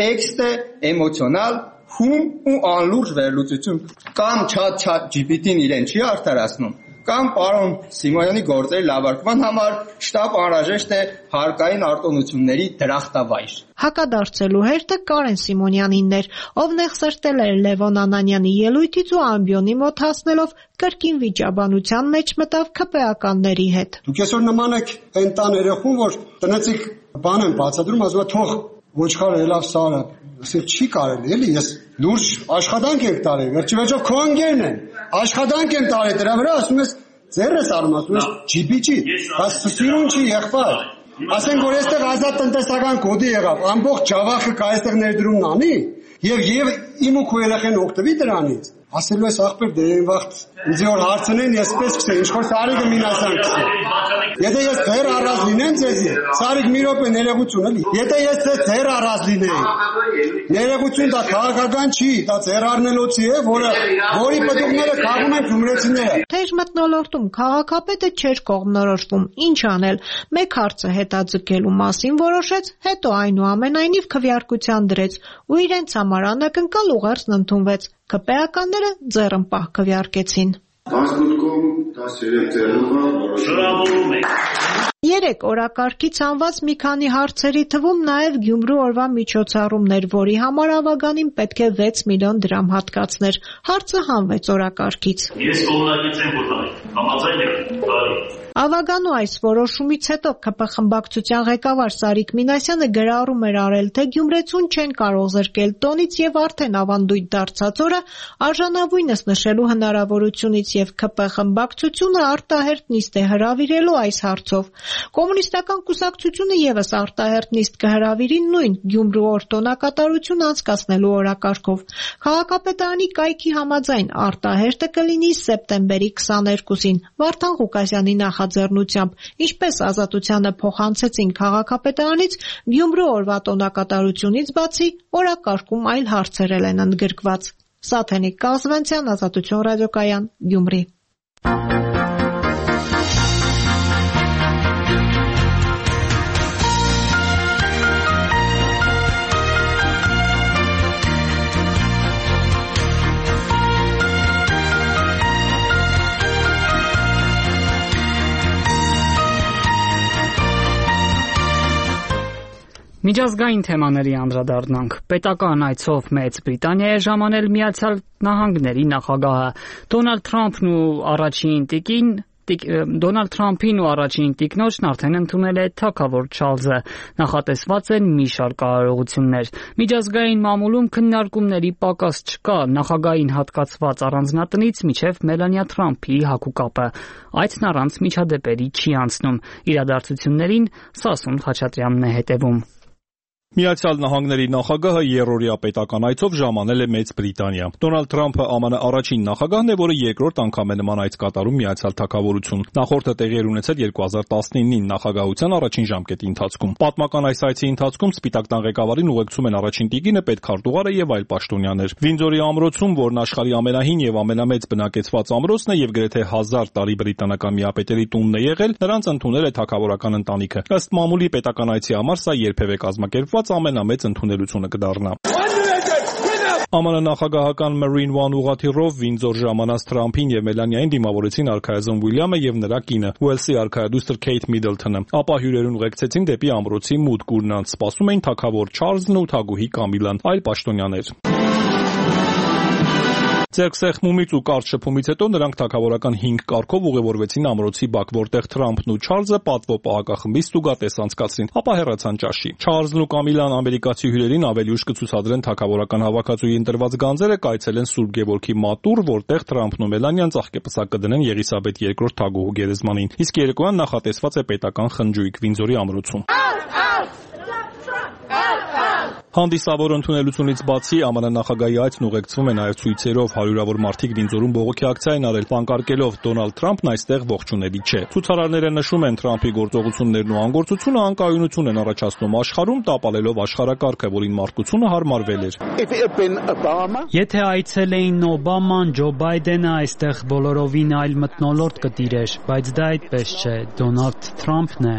տեքստ է էմոցիոնալ, հում ու անլուրջ վերլուծություն, կամ ChatGPT-ն իրեն չի արդարացնում, կամ պարոն Սիմոնյանի գործերի լավարկման համար շտապ անհրաժեշտ է հարկային արտոնությունների դրախտավայր։ Հակադարձելու հերթը Կարեն Սիմոնյանինն էր, ով նեղսրտել էր Լևոն Անանյանի ելույթից ու ամբիոնի մոտ հասնելով կրկին վիճաբանության մեջ մտավ ՔՊ-ականների հետ։ Դուք այսօր նման եք այն տան երեխուն, որ տնեցիք բան են բացատրում, ասում է թող ոչխարը ելավ սարը, ասել չի կարելի, էլի ես լուրջ աշխատանք եմ տարել, վերջիվերջով քո ընկերն են, աշխատանք եմ տարել դրա վրա, ասում ես ձեռ ես արում, ասում ես GPG, բայց սիրուն չի եղբայր։ Ասենք որ այստեղ ազատ տնտեսական կոդի եղավ, ամբողջ Ջավախը կա այստեղ ներդրումն անի, եւ իմ ու քո երեխեն օգտվի դրանից։ Ասելու ես ախպեր դե այն վաղ ինձ որ հարցնեն ես պես կսեմ, ինչ որ Սարիկը Մինասյան կսեմ։ Եթե ես ձեր առած լինեմ ձեզի, Սարիկ մի րոպե ներողություն էլի։ Եթե ես ձեր առած լինեի, ներողություն դա քաղաքական չի, դա ձեր առնելոցի է, որի պտուղները քաղում են գյումրեցիները։ Թեժ մթնոլորտում քաղաքապետը չէր կողմնորոշվում, ինչ անել։ Մեկ հարցը հետաձգելու մասին որոշեց, հետո այնուամենայնիվ քվեարկության դրեց ու իրենց համար անակնկալ ուղերձն ընդունվեց։ ՔՊ-ականները ձեռնպահ քվեարկեցին։ Բացմունքում 13 ձեռնունը որոշվում է։ Երեք օրակարգից անված մի քանի հարցերի թվում նաև Գյումրու օրվա միջոցառումներ, որի համար Ավագանին պետք է 6 միլիոն դրամ հատկացներ։ Հարցը հանվեց օրակարգից։ Ես կողմնակից եմ որտեղ, համաձայն եք, բարի։ Ավագանու այս որոշումից հետո ԿՊ խմբակցության ղեկավար Սարիկ Մինասյանը գրառում էր արել, թե գյումրեցուն չեն կարող զրկել տոնից եւ արդեն ավանդույթ դարձած օրը արժանավույնս նշելու հնարավորությունից եւ ԿՊ խմբակցությունը արտահերտ նիստ է հրավիրելու այս հարցով։ Կոմունիստական կուսակցությունը եւս արտահերտ նիստ կհրավիրի նույն Գյումրու օր տոնակատարություն անցկացնելու օրակարգով։ Քաղաքապետարանի կայքի համաձայն արտահերտը կլինի սեպտեմբերի 22-ին Վարդան Ղուկասյանի նախաձեռնությամբ, ինչպես Ազատությանը փոխանցեցին քաղաքապետարանից, Գյումրու օրվա տոնակատարությունից բացի օրակարգում այլ հարցեր են ընդգրկված։ Սաթենիկ Կազվենցյան, Ազատություն ռադիոկայան, Գյումրի։ Միջազգային թեմաների անդրադառնանք։ Պետական այցով Մեծ Բրիտանիա է ժամանել Միացյալ Նահանգների նախագահը։ Դոնալդ Թրամփին ու առաջին տիկնոջն արդեն ընդունել է թագավոր Չարլզը։ Նախատեսված են մի շարք արարողություններ։ Միջազգային մամուլում քննարկումների պակաս չկա, նախագահային հատկացված առանձնատնից մինչև Մելանիա Թրամփի հագուկապը։ Այցն առանց միջադեպերի չի անցնում։ Իրադարձություններին Սասուն Խաչատրյանն է հետևում։ Միացյալ Նահանգների նախագահը երրորդյա պետական այցով ժամանել է Մեծ Բրիտանիա։ Դոնալդ Թրամփը ԱՄՆ առաջին նախագահն է, որը երկրորդ անգամ է նման այց կատարում Միացյալ Թագավորություն։ Նախորդը տեղի էր ունեցել 2019-ին նախագահության առաջին ժամկետի ընթացքում։ Պատմական այս այցի ընթացքում Սպիտակ տան ղեկավարին ուղեկցում են առաջին տիկինը, պետքարտուղարը եւ այլ պաշտոնյաներ։ Վինդզորի ամրոցում, որն աշխարհի ամենահին եւ ամենամեծ բնակեցված ամրոցն է եւ գրեթե 1000 տարի բրիտանական միապետերի տունն է եղել, նրանց ընդունել է թագավորական ընտանիքը։ Ըստ մամուլի պետական այցի համար սա երբևէ կազմակերպված ամենամեծ ընդունելությունը կդառնա։ ԱՄՆ նախագահական Marine One ուղղաթիռով Վինդզոր ժամանած Թրամփին եւ Մելանիային դիմավորեցին արքայազն Ուիլյամը եւ նրա կինը Ուելսի արքայադուստր Քեյթ Միդլթոնը։ Ապա հյուրերուն ուղեկցեցին դեպի ամրոցի մուտք, նրանց սպասում էին թագավոր Չարլզն ու թագուհի Կամիլան, այլ պաշտոնյաներ։ Ձերքսեղմումից ու կարճ շփումից հետո նրանք թագավորական 5 կարգով ուղևորվեցին ամրոցի բակ, որտեղ Թրամփն ու Չարլզը պատվո պահակախմբից ստուգատես անցկացրին, ապա հեռացան ճաշի։ Չարլզն ու Կամիլան ամերիկացի հյուրերին ավելի ուշ կցուցադրեն թագավորական հավաքածուի ընտրված գանձերը, կայցելեն Սուրբ Գևորգի մատուռ, որտեղ Թրամփն ու Մելանիան ծաղկեպսակ կդնեն Եղիսաբեթ II թագուհու գերեզմանին։ Իսկ երեկոյան նախատեսված է պետական խնջույք Վինդզորի ամրոցում։ Հանդիսավոր ընդունելությունից բացի ԱՄՆ նախագահի այցն ուղեկցվում է նաև ցույցերով, հարյուրավոր մարդիկ Վինդզորում բողոքի ակցիա են արել, պանկարկելով Դոնալդ Թրամփն այստեղ ողջունելի չէ։ Ցուցարարները նշում են Թրամփի գործողություններն ու անկարգությունը անկայունություն են առաջացնում աշխարհում, տապալելով աշխարհակարգը, որին մարդկությունը հարմարվել էր։ Եթե այցելեին Օբաման, Ջո Բայդենը, այստեղ բոլորովին այլ մթնոլորտ կտիրեր, բայց դա այդպես չէ, Դոնալդ Թրամփն է։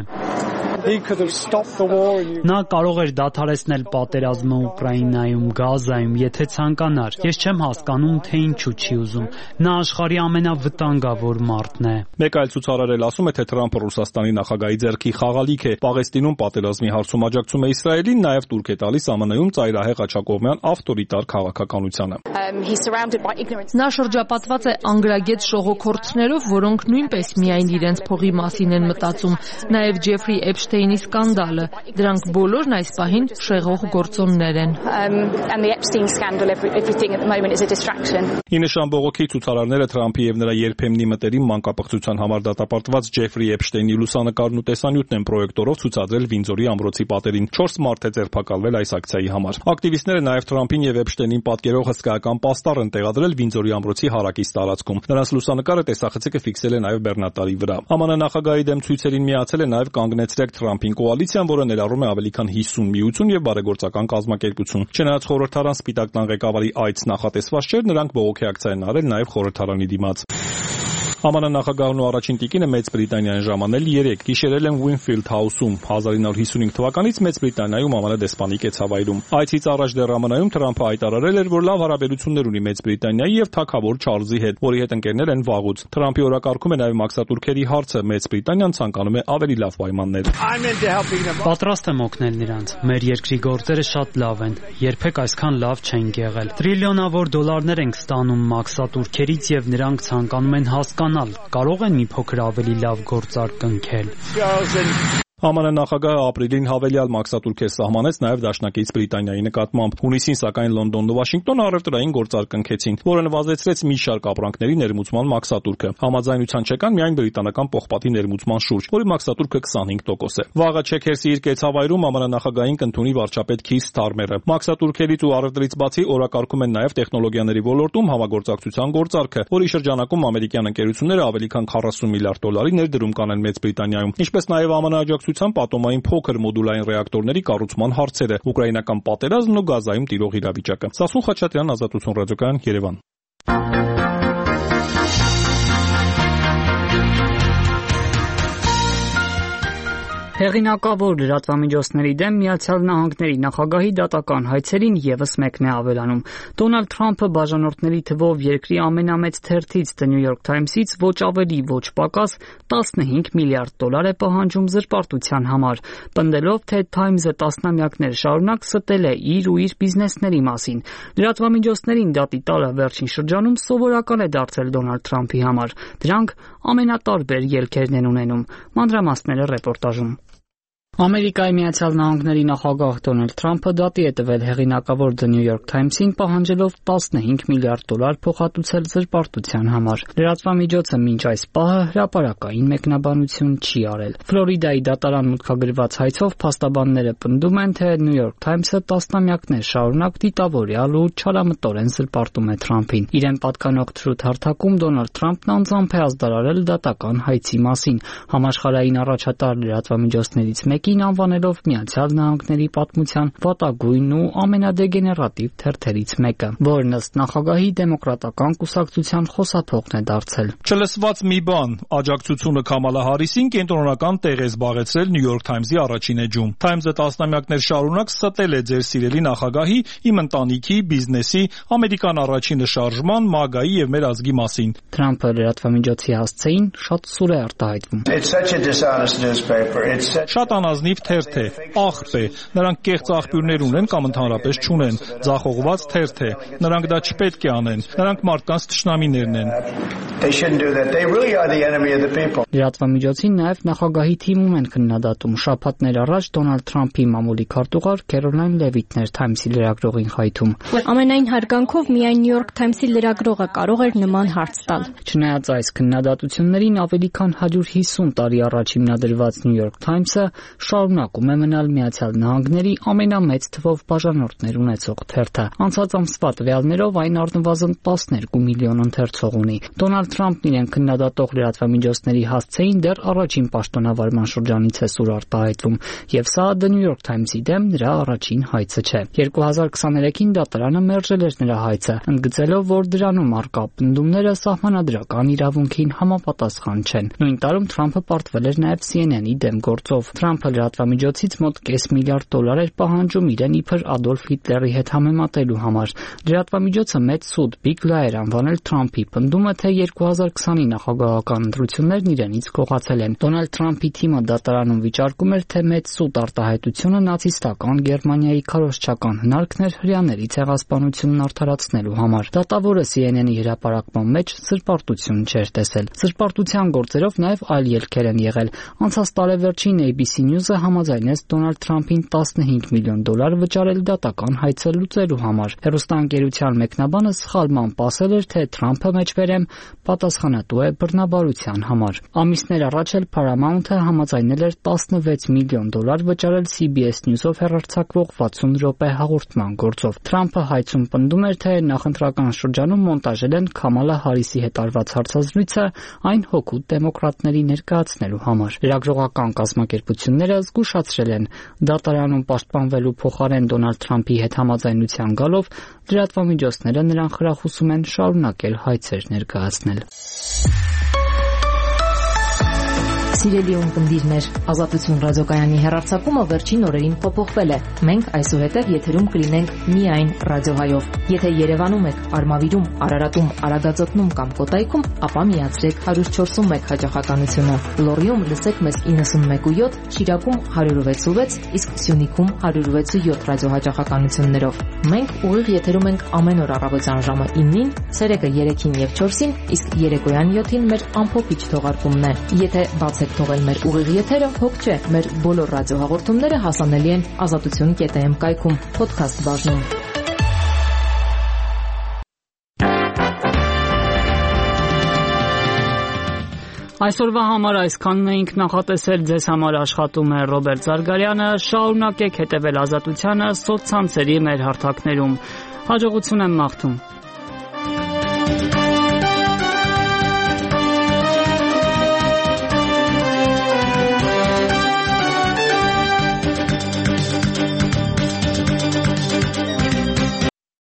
Նա կարող էր դադարեցնել պատերազմը Ուկրաինայում, Գազայում, եթե ցանկանար։ Ես չեմ հասկանում, թե ինչու չի ուզում։ Նա աշխարհի ամենավտանգավոր մարդն է։ Մեկ այլ ցուցարար էլ ասում է, թե Թրամփը Ռուսաստանի նախագահի ձեռքի խաղալիք է։ Պաղեստինում պատերազմի հարցում աջակցում է Իսրայելին, նաև տուրք է տալիս ԱՄՆ-ում ծայրահեղ աջակողմյան ավտորիտար քաղաքականությանը։ Նա շրջապատված է անգրագետ շողոքորթներով, որոնք նույնպես միայն իրենց փողի մասին են մտածում։ Նաև Ջեֆրի Էփշտեյնի սկանդալը, դրանք բոլորն այս պահին շեղող գործոններ են։ Ի նշան բողոքի ցուցարարները Թրամփի եւ նրա երբեմնի մտերիմ մանկապղծության համար դատապարտված Ջեֆրի Էփշտեյնի լուսանկարն ու տեսանյութն են պրոյեկտորով ցուցադրել Վինդզորի ամրոցի պատերին։ 4 մարդ է ձերբակալվել այս ակցիայի համար։ Ակտիվիստները նաև Թրամփին եւ Էփշտեյնին պատկերող հսկայական պաստառ են տեղադրել Վինդզորի ամրոցի հարակից տարածքում։ Նրանց լուսանկարը տեսախցիկը ֆիքսել է նաև բեռնատարի վրա։ ԱՄՆ նախագահի դեմ ցույցերին միացել է նաև կանգնեցրեք Թրամփին կոալիցիան, որը ներառում է ավելի քան 50 միություն եւ բարեգործական կազմակերպություն։ Չնայած խորհրդարան Սպիտակ տան ղեկավարի այց նախատեսված չէր, նրանք բողոքի ակցիա են արել նաև խորհրդարանի դիմաց։ ԱՄՆ նախագահն ու առաջին տիկինը Մեծ Բրիտանիան ժամանել 3 գիշերել են Winfield House-ում 1955 թվականից Մեծ Բրիտանիայում ԱՄՆ դեսպանի կեցավայրում։ Այցից առաջ դեռ ԱՄՆ-ում Թրամփը հայտարարել էր, որ լավ հարաբերություններ ունի Մեծ Բրիտանիայի եւ թագավոր Չարլզի հետ, որի հետ ընկերներ են վաղուց։ Թրամփի օրակարգում է նաեւ մաքսատուրքերի հարցը։ Մեծ Բրիտանիան ցանկանում է ավելի լավ պայմաններ։ Պատրաստ եմ օգնել նրանց։ Մեր երկրի գործերը շատ լավ են։ Երբեք այսքան լավ չեն եղել։ Տրիլիոնավոր դոլարներ ենք ստանում մաքսատուրքերից եւ նրանք ցանկանում են հասկանալ, կարող են մի փոքր ավելի լավ գործարք կնքել։ ԱՄՆ նախագահը ապրիլին հավելյալ մաքսատուրքեր սահմանեց նաև դաշնակից Բրիտանիայի նկատմամբ։ Հունիսին սակայն Լոնդոնն ու Վաշինգտոնը առևտրային գործարք կնքեցին, որը նվազեցրեց մի շարք ապրանքների ներմուծման մաքսատուրքը։ Համաձայնության չեկան միայն բրիտանական պողպատի ներմուծման շուրջ, որի մաքսատուրքը 25% է։ Վաղը Չեքերսի իր կեցավայրում ԱՄՆ նախագահին կընդունի վարչապետ Քիր Սթարմերը։ Մաքսատուրքերից ու առևտրից բացի օրակարգում են նաև տեխնոլոգիաների ոլորտում համագործակցության գործարքը, որի շրջանակում ամերիկյան ընկերությունները ավելի քան 40 միլիարդ դոլարի ներդրում կանեն Մեծ Բրիտանիայում, ինչպես նաև ԱՄՆ պատոմային փոքր մոդուլային ռեակտորների կառուցման հարցերը, ուկրաինական պատերազմն ու Գազայում տիրող իրավիճակը։ Սասուն Խաչատրյան, Ազատություն ռադիոկայան, Երևան։ Հեղինակավոր լրատվամիջոցների դեմ Միացյալ Նահանգների նախագահի դատական հայցերին եւս մեկն է ավելանում։ Դոնալդ Թրամփը բաժանորդների թվով երկրի ամենամեծ թերթից The New York Times-ից ոչ ավելի, ոչ պակաս 15 միլիարդ դոլար է պահանջում զրպարտության համար, պնդելով, թե Times-ը տասնամյակներ շարունակ ստել է իր ու իր բիզնեսների մասին։ Լրատվամիջոցներին դատի տալը վերջին շրջանում սովորական է դարձել Դոնալդ Թրամփի համար։ Դրանք ամենատարբեր ելքերն են ունենում։ Մանրամասները ռեպորտաժում։ Ամերիկայի Միացյալ Նահանգների նախագահ Դոնալդ Թրամփը դատի է տվել հեղինակավոր The New York Times-ին, պահանջելով 15 միլիարդ դոլար փոխհատուցել զրպարտության համար։ Լրատվամիջոցը մինչ այս պահը հրապարակային մեկնաբանություն չի արել։ Ֆլորիդայի դատարան մուտքագրված հայցով փաստաբանները պնդում են, թե New York Times-ը տասնամյակներ շարունակ դիտավորյալ ու չարամտորեն զրպարտում է Թրամփին։ Իրեն պատկանող թրութ հարթակում Դոնալդ Թրամփն անձամբ է ազդարարել դատական հայցի մասին։ Համաշխարհային առաջատար լրատվամիջոցներից մեկին անվանելով Միացյալ Նահանգների պատմության վատագույն ու ամենադեգեներատիվ թերթերից մեկը, որն ըստ նախագահի դեմոկրատական կուսակցության խոսափողն է դարձել։ Չլսված մի բան, աջակցությունը Քամալա Հարիսին կենտրոնական տեղ է զբաղեցրել New York Times-ի առաջին էջում։ Times-ը տասնամյակներ շարունակ ստել է ձեր սիրելի նախագահի, իմ ընտանիքի, բիզնեսի, ամերիկան առաջինը շարժման, MAGA-ի եւ մեր ազգի մասին։ Թրամփը լրատվամիջոցի հասցեին շատ սուր է արտահայտվում։ Շատ անազնիվ թերթ է, աղբ է, նրանք կեղծ աղբյուրներ ունեն կամ ընդհանրապես չունեն, ձախողված թերթ է, նրանք դա չպետք է անեն, նրանք մարդկանց թշնամիներն են։ Լրատվամիջոցին նաև նախագահի թիմում են քննադատում։ Շաբաթներ առաջ Դոնալդ Թրամփի մամուլի քարտուղար Քերոլայն Լևիթն էր Times-ի լրագրողին խայթում։ Ամենայն հարգանքով միայն New York Times-ի լրագրողը կարող էր նման հարց տալ։ Չնայած այս քննադատություններին ավելի քան 150 տարի առաջ հիմնադրված New York Times-ը շարունակում է մնալ Միացյալ Նահանգների ամենամեծ թվով բաժանորդներ ունեցող թերթը։ Անցած ամսվա տվյալներով այն առնվազն 12 միլիոն ընթերցող ունի։ Դոնալդ Թրամփն իրեն քննադատող լրատվամիջոցների հասցեին դեռ առաջին պաշտոնավարման շրջանից է սուր արտահայտվում, եւ սա The New York Times-ի դեմ նրա առաջին հայցը չէ։ 2023-ին դատարանը մերժել էր նրա հայցը, ընդգծելով, որ դրանում առկա պնդումները սահմանադրական իրավունքին համապատասխան չեն։ Նույն տարում Թրամփը պարտվել էր նաև CNN-ի դեմ գործով։ Թրամփը լրատվամիջոցից մոտ կես միլիարդ դոլար էր պահանջում իրեն իբր Ադոլֆ Հիտլերի հետ համեմատելու համար։ Լրատվամիջոցը մեծ սուտ Big Lie էր անվանել Թրամփի պնդումը, թե 2020-ի նախագահական ընտրություններն իրենից գողացել են։ Դոնալդ Թրամփի թիմը դատարանում վիճարկում էր, թե մեծ սուտ արտահայտությունը նացիստական Գերմանիայի քարոզչական հնարքն էր հրեաների ցեղասպանությունն արդարացնելու համար։ Դատավորը CNN-ի հրապարակման մեջ սրպարտություն չէր տեսել։ Սրպարտության գործերով նաև այլ ելքեր են եղել։ Անցած տարեվերջին ABC News-ը համաձայնեց Դոնալդ Թրամփին 15 միլիոն դոլար վճարել դատական հայցը լուծելու համար։ Հեռուստաընկերության մեկնաբանը սխալմամբ ասել էր, թե Թրամփը մեջբերեմ պատասխանատու է բռնաբարության համար։ Ամիսներ առաջ էլ Paramount-ը համաձայնել էր 16 միլիոն դոլար վճարել CBS News-ով հեռարձակվող 60 րոպե հաղորդման գործով։ Թրամփը հայցում պնդում էր, թե նախընտրական շրջանում մոնտաժել են Քամալա Հարիսի հետ արված հարցազրույցը այն հօգուտ դեմոկրատների ներկայացնելու համար։ Լրագրողական կազմակերպությունները զգուշացրել են, դատարանում պաշտպանվելու փոխարեն Դոնալդ Թրամփի հետ համաձայնության գալով լրատվամիջոցները նրան խրախուսում են շարունակել հայցեր ներկայացնել։ Սիրելի ունկնդիրներ, Ազատություն ռադիոկայանի հեռարձակումը վերջին օրերին փոփոխվել է։ Մենք այսուհետև եթերում կլինենք միայն ռադիոհայով։ Եթե Երևանում եք, Արմավիրում, Արարատում, Արագածոտնում կամ Կոտայքում, ապա միացրեք 104.1 հաճախականությունը։ Լոռիում լսեք մեզ 91.7, Շիրակում 106.6, իսկ Սյունիքում 106.7 ռադիոհաճախականություններով։ Մենք ուղիղ եթերում ենք ամեն օր առավոտյան ժամը 9-ին, ցերեկը 3-ին եւ 4-ին, իսկ երեկոյան 7-ին մեր ամփոփիչ թողարկումն է։ Եթե բաց եք թողել մեր ուղիղ եթերը, հոգ չէ, մեր բոլոր ռադիոհաղորդումները հասանելի են azatutun.am կայքում, podcast բաժնում։ Այսօրվա համար այսքանն էինք նախատեսել, ձեզ համար աշխատում է Ռոբերտ Զարգարյանը, շարունակեք հետևել Ազատությանը սոցցանցերի մեր հարթակներում։ Հաջողություն եմ մաղթում։